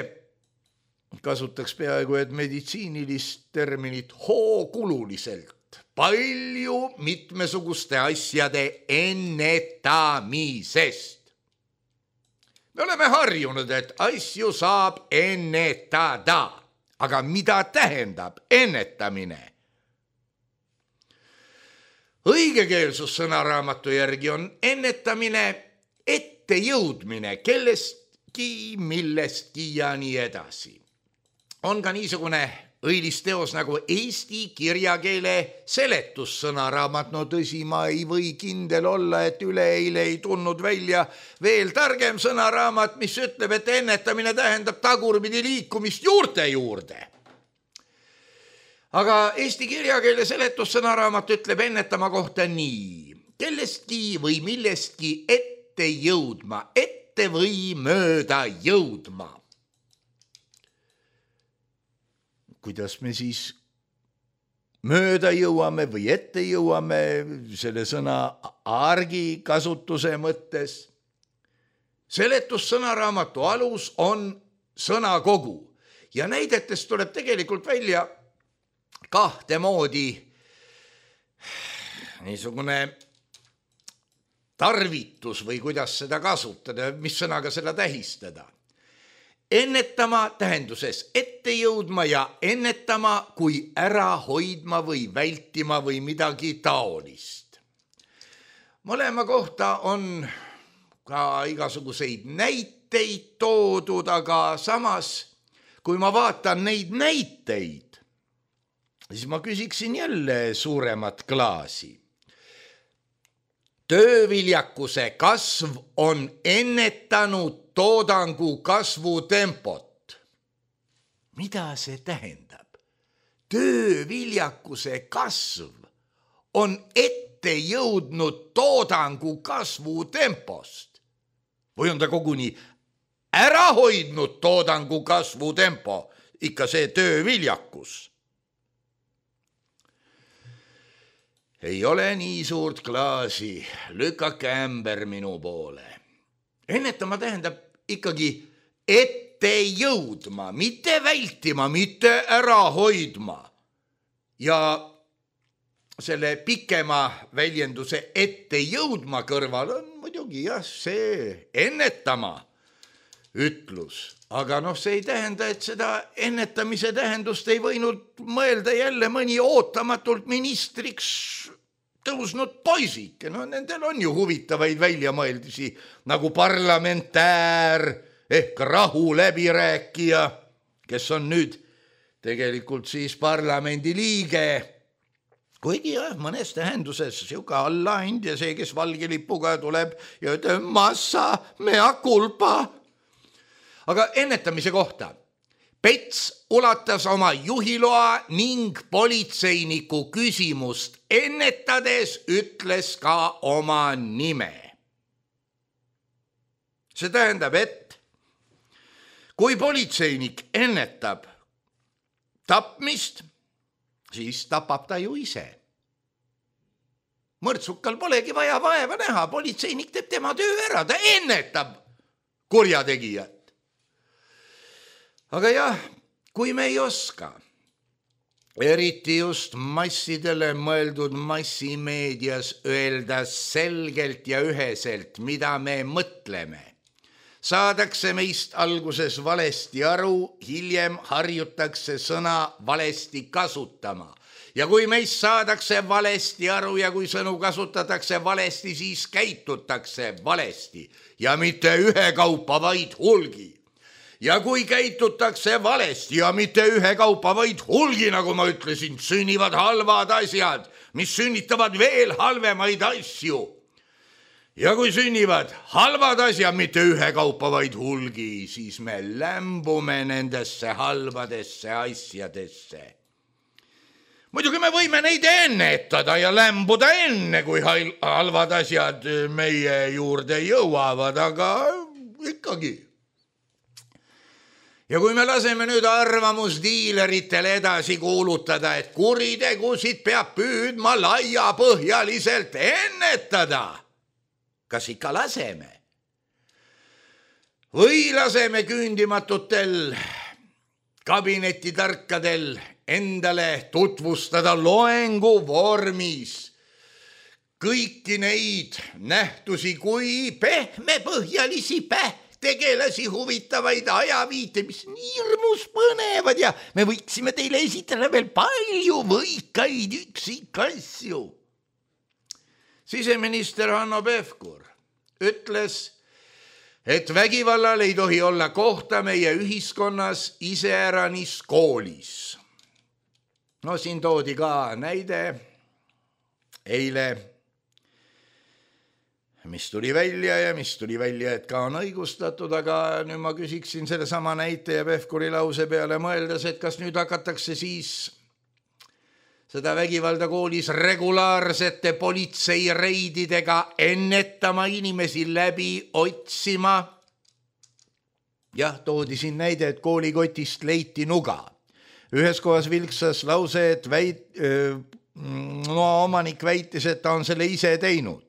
kasutaks peaaegu et meditsiinilist terminit, hookululiselt palju mitmesuguste asjade ennetamisest. Me oleme harjunud, et asju saab ennetada, aga mida tähendab ennetamine? õigekeelsus sõnaraamatu järgi on ennetamine, ettejõudmine kellestki, millestki ja nii edasi. On ka niisugune õilis teos nagu eesti kirjakeele seletussõnaraamat. No tõsi, ma ei või kindel olla, et üleeile ei tulnud välja veel targem sõnaraamat, mis ütleb, et ennetamine tähendab tagurpidi liikumist juurte juurde. Aga eesti kirjakeele seletussõnaraamat ütleb ennetama kohta nii: kellestki või millestki ette jõudma, ette või mööda jõudma. Kuidas me siis mööda jõuame või ette jõuame selle sõna argi kasutuse mõttes? Seletussõnaraamatu alus on sõnakogu ja näidetest tuleb tegelikult välja kahte moodi niisugune tarvitus või kuidas seda kasutada, mis sõnaga seda tähistada. Ennetama tähenduses ette jõudma ja ennetama kui ära hoidma või vältima või midagi taolist. Mõlema kohta on ka igasuguseid näiteid toodud, aga samas, kui ma vaatan neid näiteid, siis ma küsiksin jälle suuremat klaasi. Tööviljakuse kasv on ennetanud toodangu kasvutempot. Mida see tähendab? Tööviljakuse kasv on ette jõudnud toodangu kasvutempost. Või on ta koguni ära hoidnud toodangu kasvutempo, ikka see tööviljakus? Ei ole nii suurt klaasi, lükake ämber minu poole. Ennetama tähendab ikkagi ette jõudma, mitte vältima, mitte ära hoidma. Ja selle pikema väljenduse ette jõudma kõrval on muidugi jah, see ennetama ütlus. Aga see ei tähenda, et seda ennetamise tähendust ei võinud mõelda jälle mõni ootamatult ministriks tõusnud poisike. Nendel on ju huvitavaid väljamõeldisi nagu parlamentäär ehk rahu läbirääkija, kes on nüüd tegelikult siis parlamendi liige. Kuigi jah, mõnes tähenduses siuke allaand ja see, kes valge lipuga tuleb ja ütleb massa mea culpa. Aga ennetamise kohta. Pets ulatas oma juhiloa ning politseiniku küsimust ennetades ütles ka oma nime. See tähendab, et kui politseinik ennetab tapmist, siis tapab ta ju ise. Mõrtsukal polegi vaja vaeva näha, politseinik teeb tema töö ära, ta ennetab kurjategijat. Aga jah, kui me ei oska, eriti just massidele mõeldud massimeedias öelda selgelt ja üheselt, mida me mõtleme, saadakse meist alguses valesti aru, hiljem harjutakse sõna valesti kasutama. Ja kui meist saadakse valesti aru ja kui sõnu kasutatakse valesti, siis käitutakse valesti ja mitte ühekaupa, vaid hulgi. Ja kui käitutakse valesti ja mitte ühekaupa, vaid hulgi, nagu ma ütlesin, sünnivad halvad asjad, mis sünnitavad veel halvemaid asju. Ja kui sünnivad halvad asjad, mitte ühekaupa, vaid hulgi, siis me lämbume nendesse halbadesse asjadesse. Muidugi me võime neid ennetada ja lämbuda enne, kui halvad asjad meie juurde jõuavad, aga ikkagi. Ja kui me laseme nüüd arvamusdiileritel edasi kuulutada, et kuritegusid peab püüdma laiapõhjaliselt ennetada, kas ikka laseme? Või laseme küündimatutel kabinetitarkadel endale tutvustada loengu vormis kõiki neid nähtusi kui pehmepõhjalisi tegelasi huvitavaid ajaviite, mis nii hirmus põnevad ja me võiksime teile esitada veel palju võikaid üksikasju. Siseminister Hanno Pevkur ütles, et vägivallal ei tohi olla kohta meie ühiskonnas iseäranis koolis. No siin toodi ka näide eile, mis tuli välja, et ka on õigustatud, aga nüüd ma küsiksin selle sama näite ja Pevkuri lause peale mõeldes, et kas nüüd hakatakse siis seda vägivalda koolis regulaarsete politseireididega ennetama inimesi läbi otsima. Jah, toodi siin näide, et koolikotist leiti nuga. Ühes kohas vilksas lause, et omanik väitis, et ta on selle ise teinud.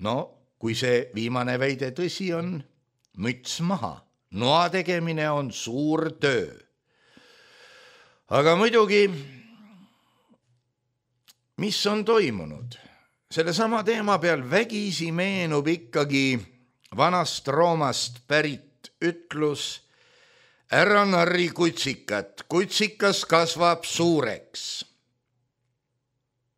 No, kui see viimane väide tõsi on, müts maha. Noa tegemine on suur töö. Aga muidugi, mis on toimunud? Selle sama teema peal vägisi meenub ikkagi vanast Roomast pärit ütlus ära narri kutsikat, kutsikas kasvab suureks.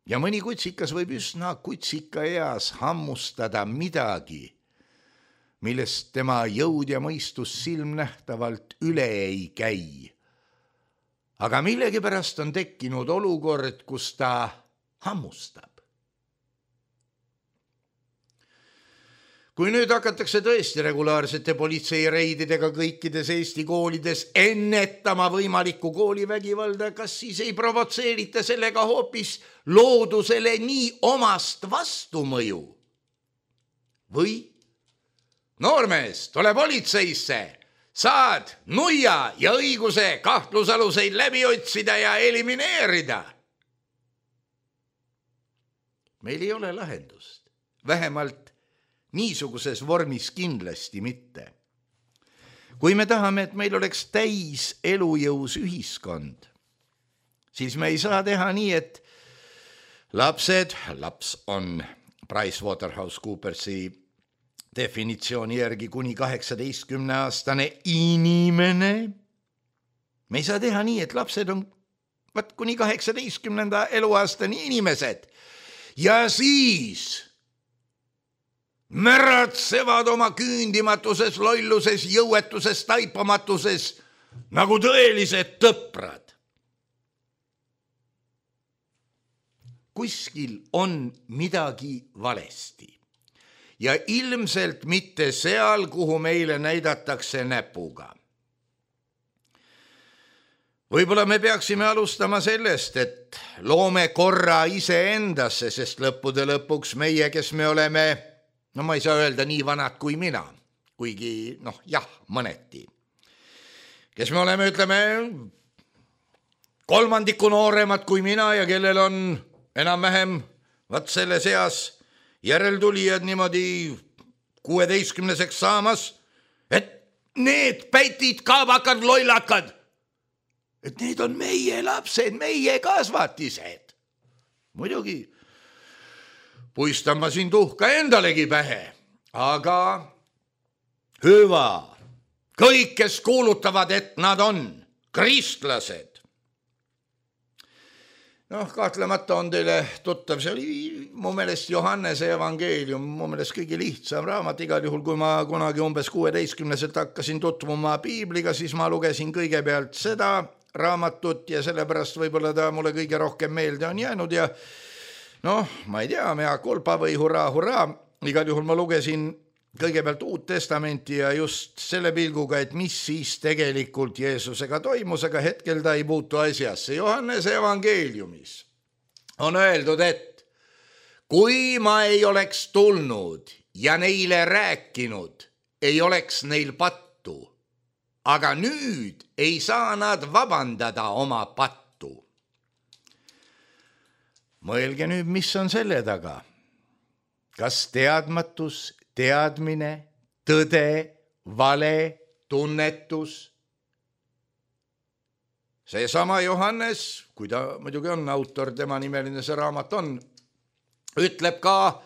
Ja mõni kutsikas võib üsna kutsika eas hammustada midagi, millest tema jõud ja mõistus silmnähtavalt üle ei käi. Aga millegipärast on tekkinud olukord, kus ta hammustab. Kui nüüd hakatakse tõesti regulaarsete politseireididega kõikides Eesti koolides ennetama võimalikku koolivägivalda, kas siis ei provotseerita sellega hoopis loodusele nii omast vastumõju? Või? Noormees, tule politseisse, saad nuia ja õiguse kahtlusaluseid läbi otsida ja elimineerida. Meil ei ole lahendust, vähemalt niisuguses vormis kindlasti mitte. Kui me tahame, et meil oleks täis elujõus ühiskond, siis me ei saa teha nii, et laps on PricewaterhouseCoopersi definitsiooni järgi kuni 18-aastane inimene. Me ei saa teha nii, et lapsed on kuni 18. eluaastani inimesed ja siis märatsevad oma küündimatuses, lolluses, jõuetuses, taipamatuses nagu tõelised tõprad. Kuskil on midagi valesti ja ilmselt mitte seal, kuhu meile näidatakse näpuga. Võib-olla me peaksime alustama sellest, et loome korra iseendasse, sest lõppude lõpuks meie, kes me oleme, no ma ei saa öelda nii vanad kui mina, kuigi mõneti. Kes me oleme, ütleme, kolmandiku nooremad kui mina ja kellel on enam-vähem selle seas järeltulijad niimoodi 16-seks saamas, et need pätid, kaabakad, lollakad, et need on meie lapsed, meie kasvatised. Muidugi puistan ma siin tuhka endalegi pähe, aga hüva, kõik, kes kuulutavad, et nad on kristlased. Kahtlemata on teile tuttav, see oli mu meelest Johannese evangeelium, mu meelest kõige lihtsam raamat, igal juhul, kui ma kunagi umbes 16-selt hakkasin tutvuma piibliga, siis ma lugesin kõigepealt seda raamatut ja sellepärast võib-olla ta mulle kõige rohkem meelde on jäänud ja ma ei tea, mea culpa või hurraa, igal juhul ma lugesin kõigepealt Uut Testamenti ja just selle pilguga, et mis siis tegelikult Jeesusega toimus, aga hetkel ta ei puutu asjasse. Johannese evangeeliumis on öeldud, et kui ma ei oleks tulnud ja neile rääkinud, ei oleks neil pattu, aga nüüd ei saa nad vabandada oma pattu. Mõelge nüüd, mis on selle taga. Kas teadmatus, teadmine, tõde, vale, tunnetus? Seesama Johannes, kui ta muidugi on autor, tema nimeline see raamat on, ütleb ka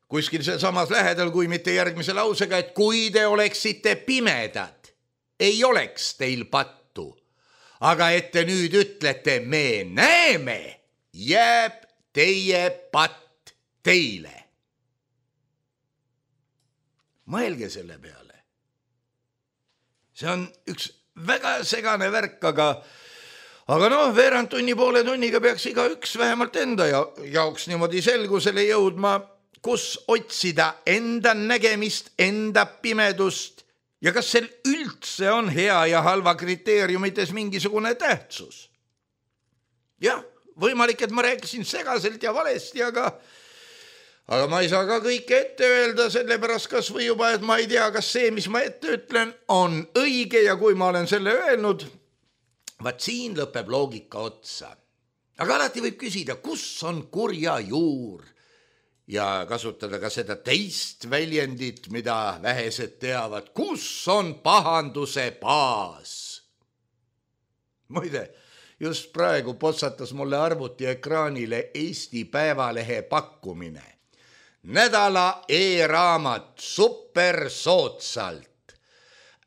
kuskil samas lähedal, kui mitte järgmise lausega, et kui te oleksite pimedad, ei oleks teil pattu, aga et te nüüd ütlete, me näeme, jääb teie patt teile. Mõelge selle peale. See on üks väga segane värk, aga noh, veerand tunni, poole tunniga peaks igaüks vähemalt enda jaoks niimoodi selgusele jõudma, kus otsida enda nägemist, enda pimedust ja kas sel üldse on hea ja halva kriteeriumites mingisugune tähtsus. Jah, võimalik, et ma rääkisin segaselt ja valesti, aga ma ei saa ka kõike ette öelda, sellepärast kas või juba, et ma ei tea, kas see, mis ma ette ütlen, on õige ja kui ma olen selle öelnud, vaat siin lõpeb loogika otsa. Aga alati võib küsida, kus on kurja juur ja kasutada ka seda teist väljendit, mida vähesed teavad, kus on pahanduse baas. Muide, just praegu potsatas mulle arvuti ekraanile Eesti Päevalehe pakkumine. Nädala e-raamat super soodsalt.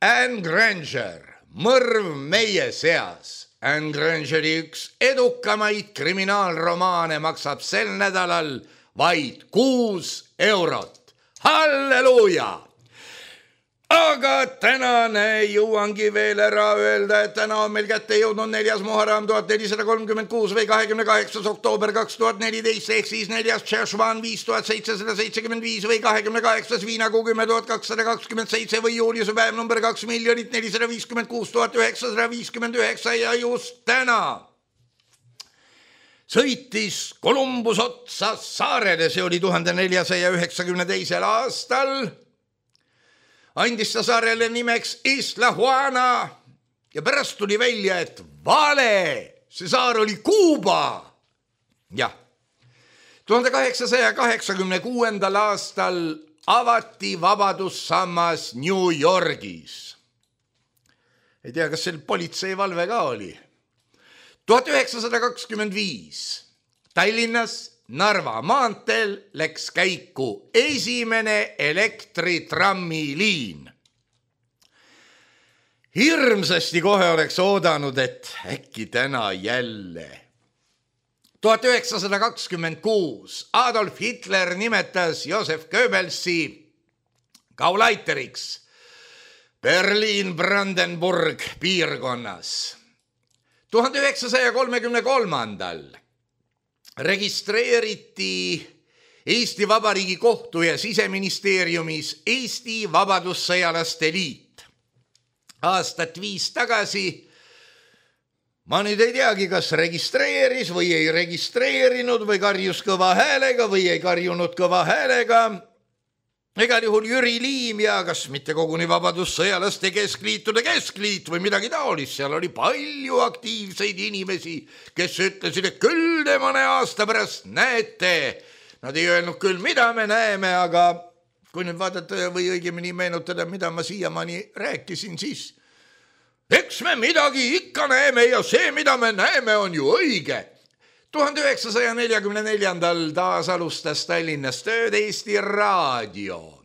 Anne Granger, mõrv meie seas. Anne Grangeri üks edukamaid kriminaalromaane maksab sel nädalal vaid 6 eurot. Halleluuja! Aga tänane jõuangi veel ära öelda, et täna on meil kätte jõudnud 4. Muharram 1436 või 28. oktoober 2014 ehk siis 4. Tšešvan 5775 või 28. viinakuu 10.227 või juuliuse päev number 2,456,959 ja just täna sõitis Columbus otsa saarele, see oli 1492. aastal. Andis ta saarele nimeks Isla Juana ja pärast tuli välja, et vale, see saar oli Kuuba. Jah, 1886. aastal avati vabadussammas New Yorgis. Ei tea, kas seal politseivalve ka oli. 1925 Tallinnas Narva maanteel läks käiku esimene elektritrammiliin. Hirmsasti kohe oleks oodanud, et äkki täna jälle. 1926 Adolf Hitler nimetas Josef Goebbelsi Gaulaiteriks Berliin-Brandenburg piirkonnas. 1933 registreeriti Eesti Vabariigi kohtu ja siseministeeriumis Eesti Vabadussõjalaste Liit. Aastat 5 tagasi, ma nüüd ei teagi, kas registreeris või ei registreerinud või karjus kõva häälega või ei karjunud kõva häälega. Egal juhul Jüri Liim ja kas mitte koguni Vabadussõjalaste keskliitude keskliit või midagi taolist. Seal oli palju aktiivseid inimesi, kes ütlesid, et küll te mõne aasta pärast näete. Nad ei öelnud küll, mida me näeme, aga kui nüüd vaadata või õigemini meenutada, mida ma siiamaani rääkisin, siis eks me midagi ikka näeme ja see, mida me näeme, on ju õige. 1944. taas alustas Tallinnas tööd Eesti Raadio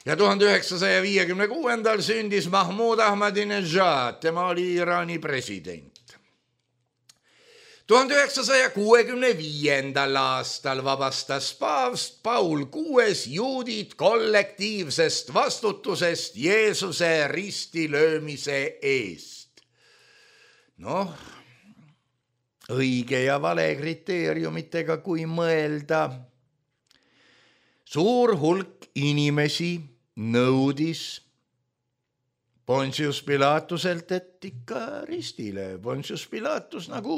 ja 1956. sündis Mahmoud Ahmadinejad, tema oli Iraani president. 1965. aastal vabastas paavst Paul VI juudid kollektiivsest vastutusest Jeesuse ristilöömise eest. Noh, õige ja vale kriteeriumitega, kui mõelda. Suur hulk inimesi nõudis Pontius Pilatuselt, et ikka ristile. Pontius Pilatus nagu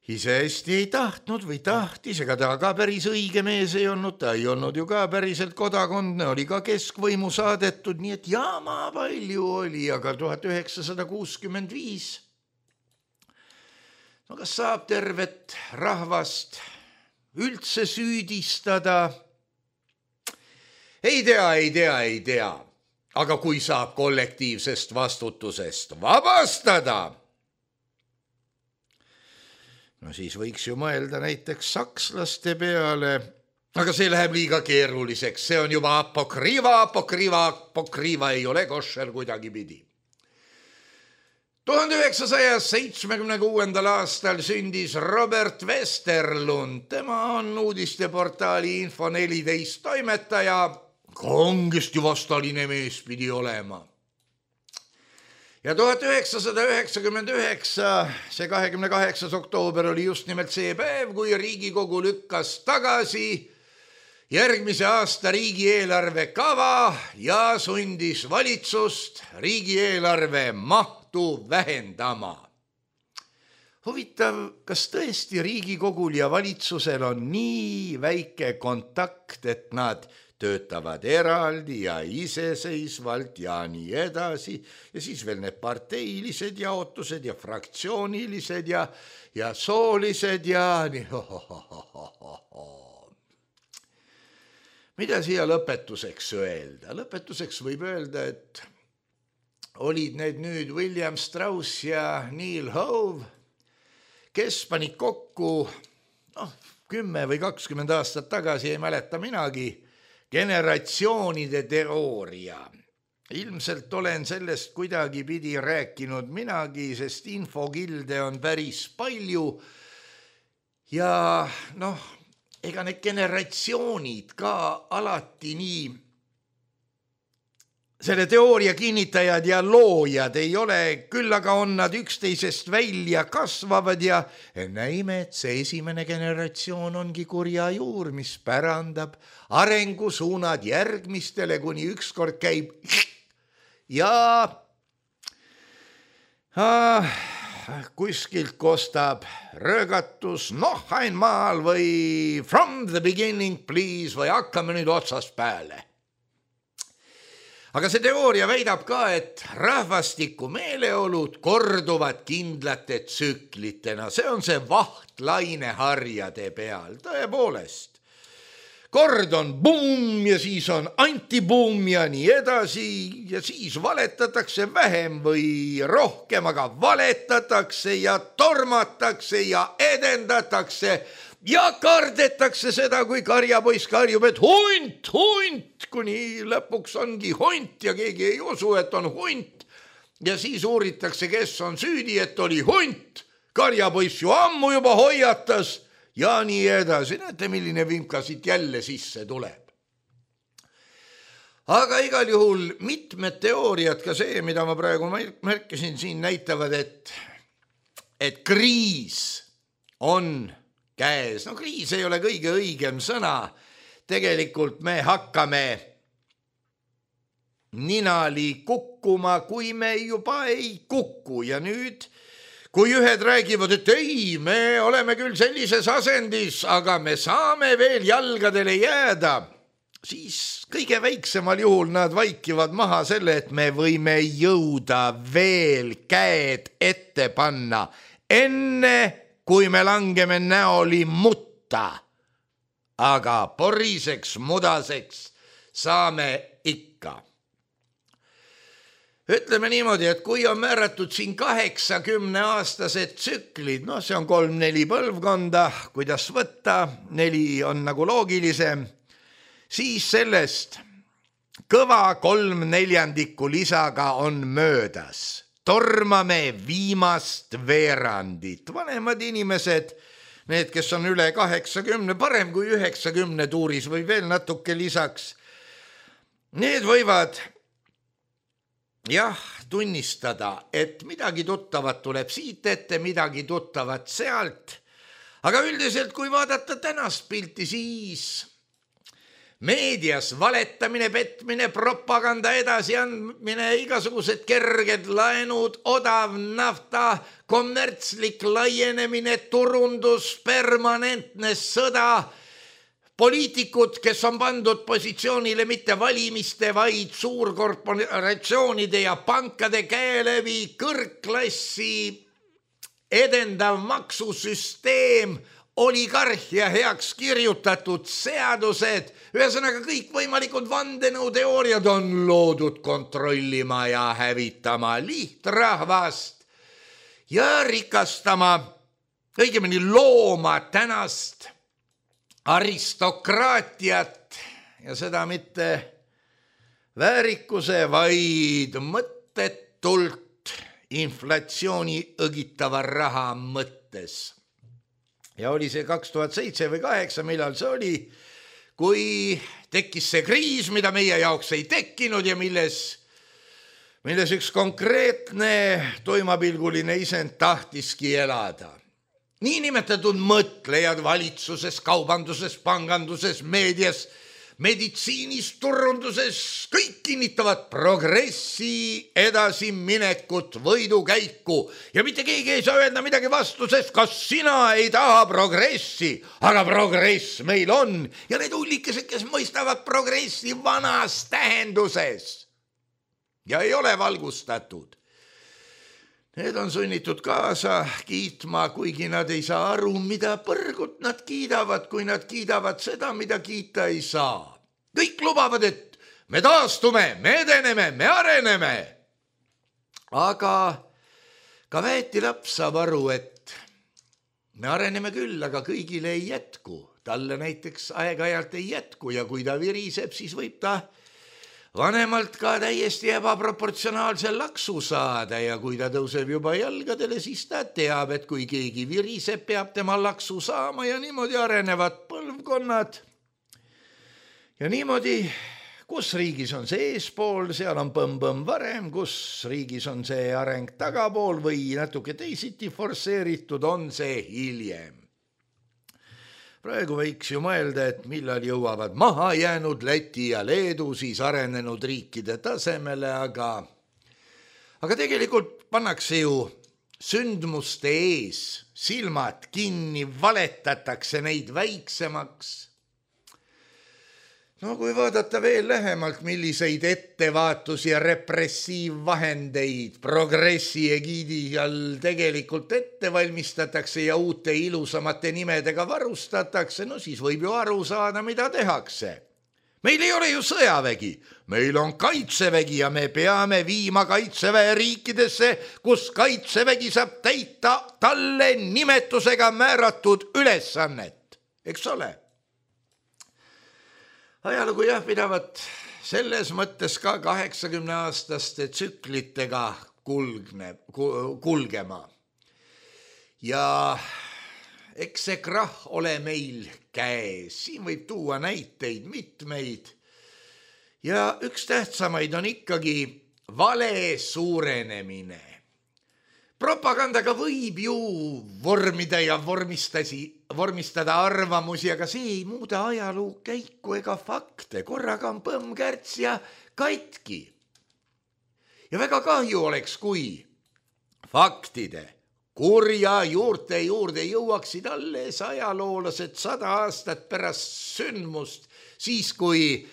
ise hästi ei tahtnud või tahtis, ega ta ka päris õige mees ei olnud, ta ei olnud ju ka päriselt kodakondne, oli ka keskvõimu saadetud, nii et jaama palju oli, aga 1965 no kas saab tervet rahvast üldse süüdistada? Ei tea. Aga kui saab kollektiivsest vastutusest vabastada, no siis võiks ju mõelda näiteks sakslaste peale, aga see läheb liiga keeruliseks, see on juba apokriiva ei ole koššer kuidagi pidi. 1976. aastal sündis Robert Westerlund. Tema on uudisteportaali Info14 toimetaja. Kangesti vastaline mees pidi olema. Ja 1999, see 28. oktoober oli just nimelt see päev, kui Riigikogu lükkas tagasi järgmise aasta riigieelarve kava ja sundis valitsust riigieelarve mahtu vähendama. Huvitav, kas tõesti Riigikogul ja valitsusel on nii väike kontakt, et nad töötavad eraldi ja iseseisvalt ja nii edasi ja siis veel need parteilised jaotused ja fraktsioonilised ja soolised ja nii. Mida siia lõpetuseks öelda? Lõpetuseks võib öelda, et olid need nüüd William Strauss ja Neil Hove, kes panid kokku 10 või 20 aastat tagasi, ei mäleta minagi, generatsioonide teooria. Ilmselt olen sellest kuidagi pidi rääkinud minagi, sest infokilde on päris palju ja ega need generatsioonid ka alati nii selle teooria kinnitajad ja loojad ei ole, küll aga on nad üksteisest välja kasvavad ja näime, et see esimene generatsioon ongi kurja juur, mis pärandab arengusuunad järgmistele, kuni ükskord käib ja kuskilt kostab röögatus einmaal või from the beginning please või hakkame nüüd otsast peale. Aga see teooria väidab ka, et rahvastiku meeleolud korduvad kindlate tsüklitena. See on see vaht laineharjade peal, tõepoolest. Kord on buum ja siis on antibuum ja nii edasi ja siis valetatakse vähem või rohkem, aga valetatakse ja tormatakse ja edendatakse ja kardetakse seda, kui karjapoiss karjub, et hunt, kuni lõpuks ongi hunt ja keegi ei usu, et on hunt. Ja siis uuritakse, kes on süüdi, et oli hunt. Karjapoiss ju ammu juba hoiatas ja nii edasi. Näete, milline vimka siit jälle sisse tuleb. Aga igal juhul mitmed teooriad, ka see, mida ma praegu märkisin siin, näitavad, et kriis on käes. Kriis ei ole kõige õigem sõna. Tegelikult me hakkame ninali kukkuma, kui me juba ei kuku. Ja nüüd, kui ühed räägivad, et ei, me oleme küll sellises asendis, aga me saame veel jalgadele jääda, siis kõige väiksemal juhul nad vaikivad maha selle, et me võime jõuda veel käed ette panna enne, kui me langeme näoli mutta, aga poriseks, mudaseks saame ikka. Ütleme niimoodi, et kui on määratud siin 80-aastased tsüklid, see on 3-4 põlvkonda, kuidas võtta, 4 on nagu loogilisem, siis sellest kõva 3/4 lisaga on möödas. Tormame viimast veerandit. Vanemad inimesed, need, kes on üle 80, parem kui 90 tuuris või veel natuke lisaks, need võivad tunnistada, et midagi tuttavat tuleb siit ette, midagi tuttavat sealt. Aga üldiselt, kui vaadata tänast pilti, siis meedias valetamine, petmine, propaganda edasiandmine, igasugused kerged laenud, odav nafta, kommertslik laienemine, turundus, permanentne sõda, poliitikud, kes on pandud positsioonile mitte valimiste, vaid suurkorporatsioonide ja pankade käe läbi, kõrgklassi edendav maksusüsteem, oligarhia heaks kirjutatud seadused, ühesõnaga kõik võimalikud vandenõuteooriad on loodud kontrollima ja hävitama lihtrahvast ja rikastama, õigemini looma tänast aristokraatiat ja seda mitte väärikuse, vaid mõttetult inflatsiooni õgitava raha mõttes. Ja oli see 2007 või 2008, millal see oli, kui tekkis see kriis, mida meie jaoks ei tekkinud ja milles üks konkreetne toimapilguline isend tahtiski elada. Niinimetatud mõtlejad valitsuses, kaubanduses, panganduses, meedias, meditsiinis, turunduses, kõik kinnitavad progressi edasiminekut, võidukäiku ja mitte keegi ei saa öelda midagi vastu, sest kas sina ei taha progressi, aga progress meil on ja need hullikesed, kes mõistavad progressi vanas tähenduses ja ei ole valgustatud. Need on sunnitud kaasa kiitma, kuigi nad ei saa aru, mida põrgut nad kiidavad, kui nad kiidavad seda, mida kiita ei saa. Kõik lubavad, et me taastume, me edeneme, me areneme. Aga ka väetilaps saab aru, et me areneme küll, aga kõigile ei jätku. Talle näiteks aeg-ajalt ei jätku ja kui ta viriseb, siis võib ta vanemalt ka täiesti ebaproportsionaalse laksu saada ja kui ta tõuseb juba jalgadele, siis ta teab, et kui keegi viriseb, peab tema laksu saama ja niimoodi arenevad põlvkonnad. Ja niimoodi, kus riigis on see eespool, seal on põmm-põmm varem, kus riigis on see areng tagapool või natuke teisiti forsseeritud, on see hiljem. Praegu võiks ju mõelda, et millal jõuavad maha jäänud Läti ja Leedu siis arenenud riikide tasemele, aga tegelikult pannakse ju sündmuste ees silmad kinni, valetatakse neid väiksemaks. No kui vaadata veel lähemalt, milliseid ettevaatus- ja repressiivvahendeid progressi egiidi all tegelikult ette valmistatakse ja uute ilusamate nimedega varustatakse, no siis võib ju aru saada, mida tehakse. Meil ei ole ju sõjavägi, meil on kaitsevägi ja me peame viima kaitseväe riikidesse, kus kaitsevägi saab täita talle nimetusega määratud ülesannet, eks ole? Ajalugu jah pidavat selles mõttes ka 80-aastaste tsüklitega kulgema. Ja eks see krahh ole meil käes, siin võib tuua näiteid mitmeid. Ja üks tähtsamaid on ikkagi vale suurenemine. Propagandaga võib ju vormida ja vormistada arvamusi, aga see ei muuda ajaloo käiku ega fakte. Korraga on põmm-kärts ja katki. Ja väga kahju oleks, kui faktide kurja juurte juurde jõuaksid alles ajaloolased 100 aastat pärast sündmust, siis kui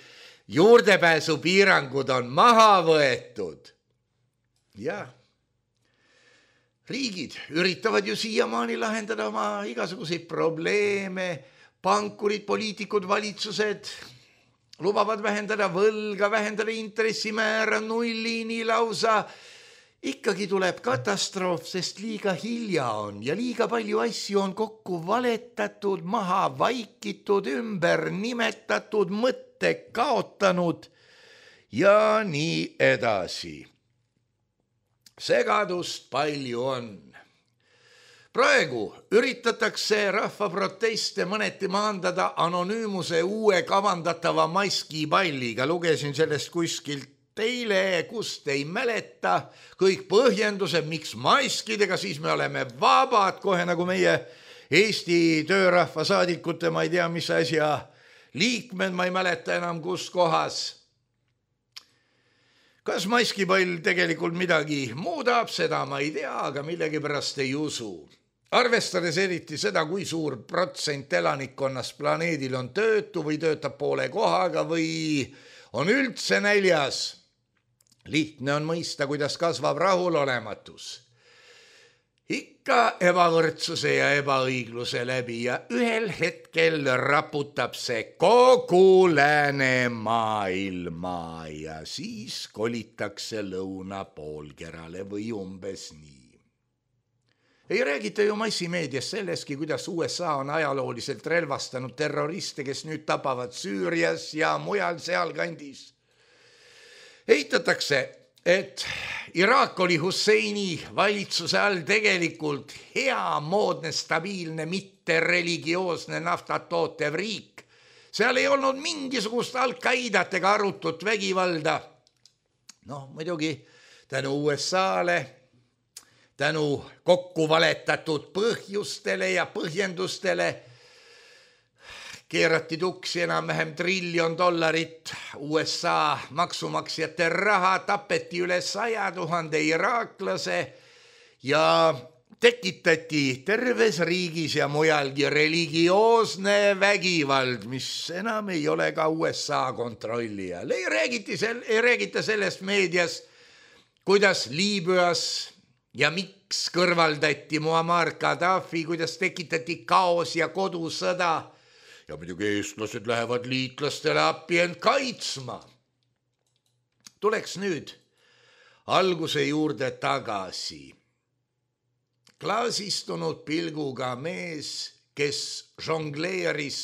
juurdepääsupiirangud on maha võetud. Jah. Riigid üritavad ju siiamaani lahendada oma igasuguseid probleeme, pankurid, poliitikud, valitsused lubavad vähendada võlga, vähendada intressimäära nullini lausa. Ikkagi tuleb katastroof, sest liiga hilja on ja liiga palju asju on kokku valetatud, maha vaikitud, ümber nimetatud, mõtte kaotanud ja nii edasi. Segadust palju on. Praegu üritatakse rahva proteste mõneti maandada anonüümuse uue kavandatava maskipalliga. Lugesin sellest kuskilt eile, kust ei mäleta. Kõik põhjendused, miks maskidega, siis me oleme vabad, kohe nagu meie Eesti töörahva saadikute, ma ei tea, mis asja liikmed, ma ei mäleta enam kus kohas. Kas maskipall tegelikult midagi muudab, seda ma ei tea, aga millegipärast ei usu. Arvestades eriti seda, kui suur protsent elanikkonnast planeedil on töötu või töötab poole kohaga või on üldse näljas. Lihtne on mõista, kuidas kasvab rahulolematus. Ikka ebavõrdsuse ja ebaõigluse läbi ja ühel hetkel raputab see kogu läänemaailma ja siis kolitakse lõunapoolkerale või umbes nii. Ei räägita ju massimeedias selleski, kuidas USA on ajalooliselt relvastanud terroriste, kes nüüd tapavad Süürias ja mujal sealkandis. Eitatakse et Iraak oli Husseini valitsuse all tegelikult hea, moodne, stabiilne, mitte religioosne naftat tootev riik. Seal ei olnud mingisugust Al-Qaidat ega arutut vägivalda. Muidugi tänu USA-le, tänu kokku valetatud põhjustele ja põhjendustele keerati tuksi enam-vähem $1 triljon USA maksumaksjate raha, tapeti üle 100 000 iraaklase ja tekitati terves riigis ja mujalgi religioosne vägivald, mis enam ei ole ka USA kontrolli all. Ei räägita sellest meedias, kuidas Liibüas ja miks kõrvaldati Muammar Gaddafi, kuidas tekitati kaos ja kodusõda. Ja muidugi eestlased lähevad liitlastele appi end kaitsma. Tuleks nüüd alguse juurde tagasi. Klaasistunud pilguga mees, kes žongleeris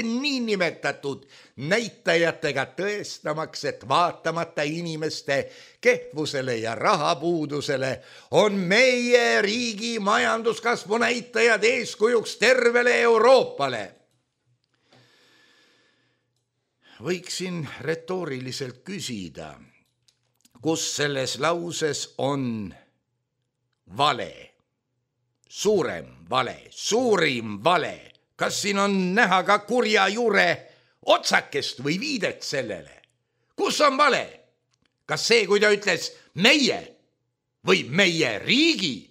niinimetatud näitajatega tõestamaks, et vaatamata inimeste kehvusele ja rahapuudusele on meie riigi majanduskasvu näitajad eeskujuks tervele Euroopale. Võiksin retooriliselt küsida, kus selles lauses on vale, suurim vale. Kas siin on näha ka kurja juure otsakest või viidet sellele? Kus on vale? Kas see, kui ta ütles meie või meie riigi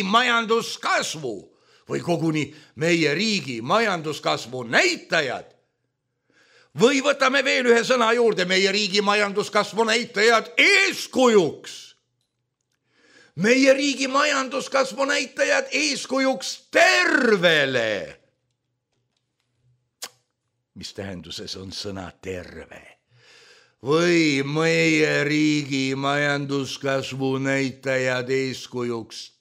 majanduskasvu või koguni meie riigi majanduskasvu näitajad? Või võtame veel ühe sõna juurde, meie riigi majanduskasvu näitajad eeskujuks. Meie riigi majanduskasvu näitajad eeskujuks tervele. Mis tähenduses on sõna terve? Või meie riigi majanduskasvu näitajad eeskujuks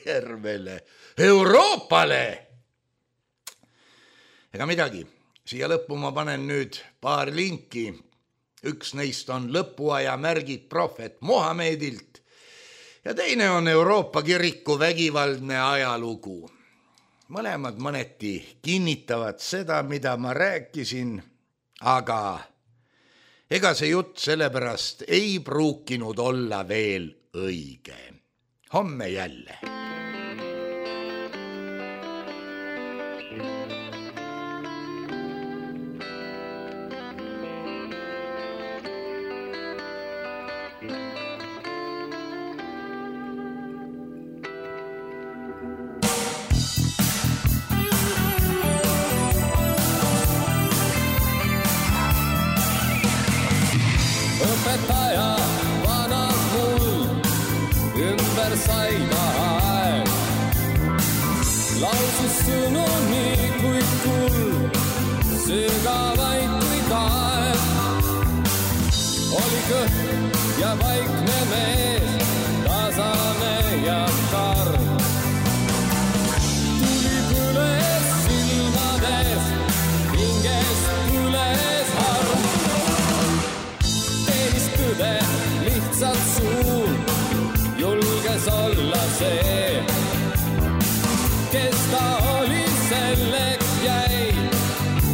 tervele Euroopale? Ega midagi. Siia lõppu ma panen nüüd paar linki. Üks neist on lõpuaja märgid prohvet Mohamedilt ja teine on Euroopa kiriku vägivaldne ajalugu. Mõlemad mõneti kinnitavad seda, mida ma rääkisin, aga ega see jutt sellepärast ei pruukinud olla veel õige. Homme jälle. Õpetaja vanad mul ümber saida aeg. Lausus sõnu nii kui kuld, sügavaid kui kaeg. Oli kõht ja vaikne mees, tasane ja karm. Tuli põles silmades, hingest põles harm. Lihtsalt suur, julges olla see, kes ta oli, selleks jäi,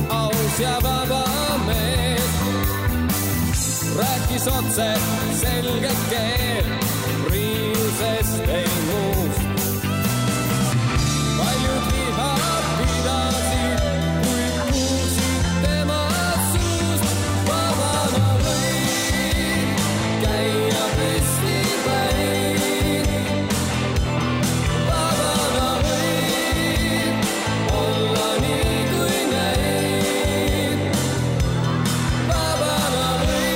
aus ja vaba mees. Rääkis otse selget keel, riiusest ei muust. Paljud viha pidasid, kui kuulsid tema suust. Vabana või käia püsti päin. Vabana või olla nii kui näin. Vabana või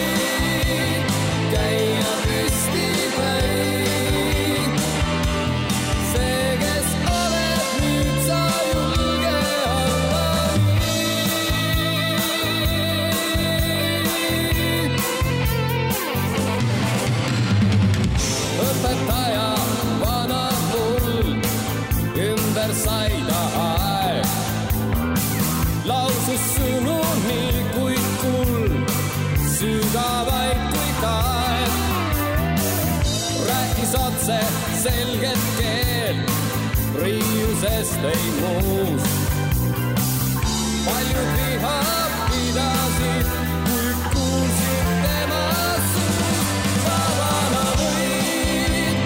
käia püsti päin. See, kes oled nüüd, sa julge olla nii. Õpetaja vanad mul ümber saida aeg. Lausus sõnu nii lapse selget keelt, riiusest ei muus. Paljud viha pidasid, kui kuulsid tema suust. Vabana võid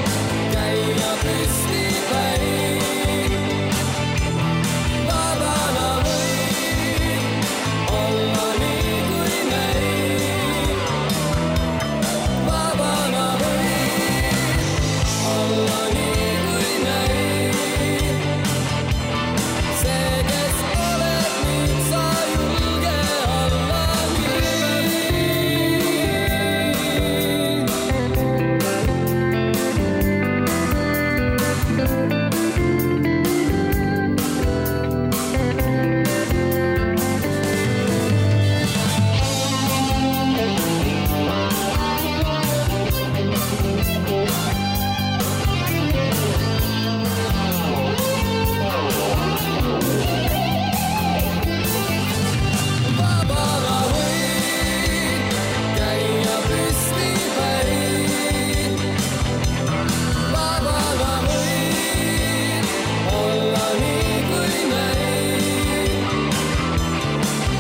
käia püsti päin. Vabana võid olla nii kui neid. Vabana võid olla nii kui neid. See, kes oled nüüd, sa julge olla nii. Vabana võid käia püsti päin. Vabana võid olla nii kui neid.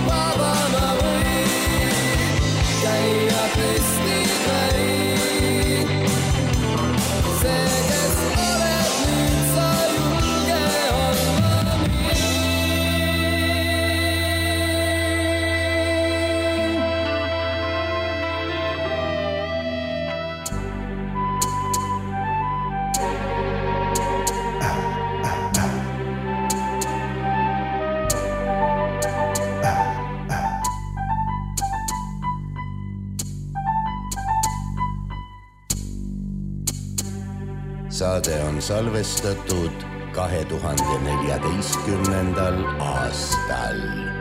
Vabana võid käia püsti päin. See, kes oled nüüd, sa julge olla nii. Saade on salvestatud 2014. aastal.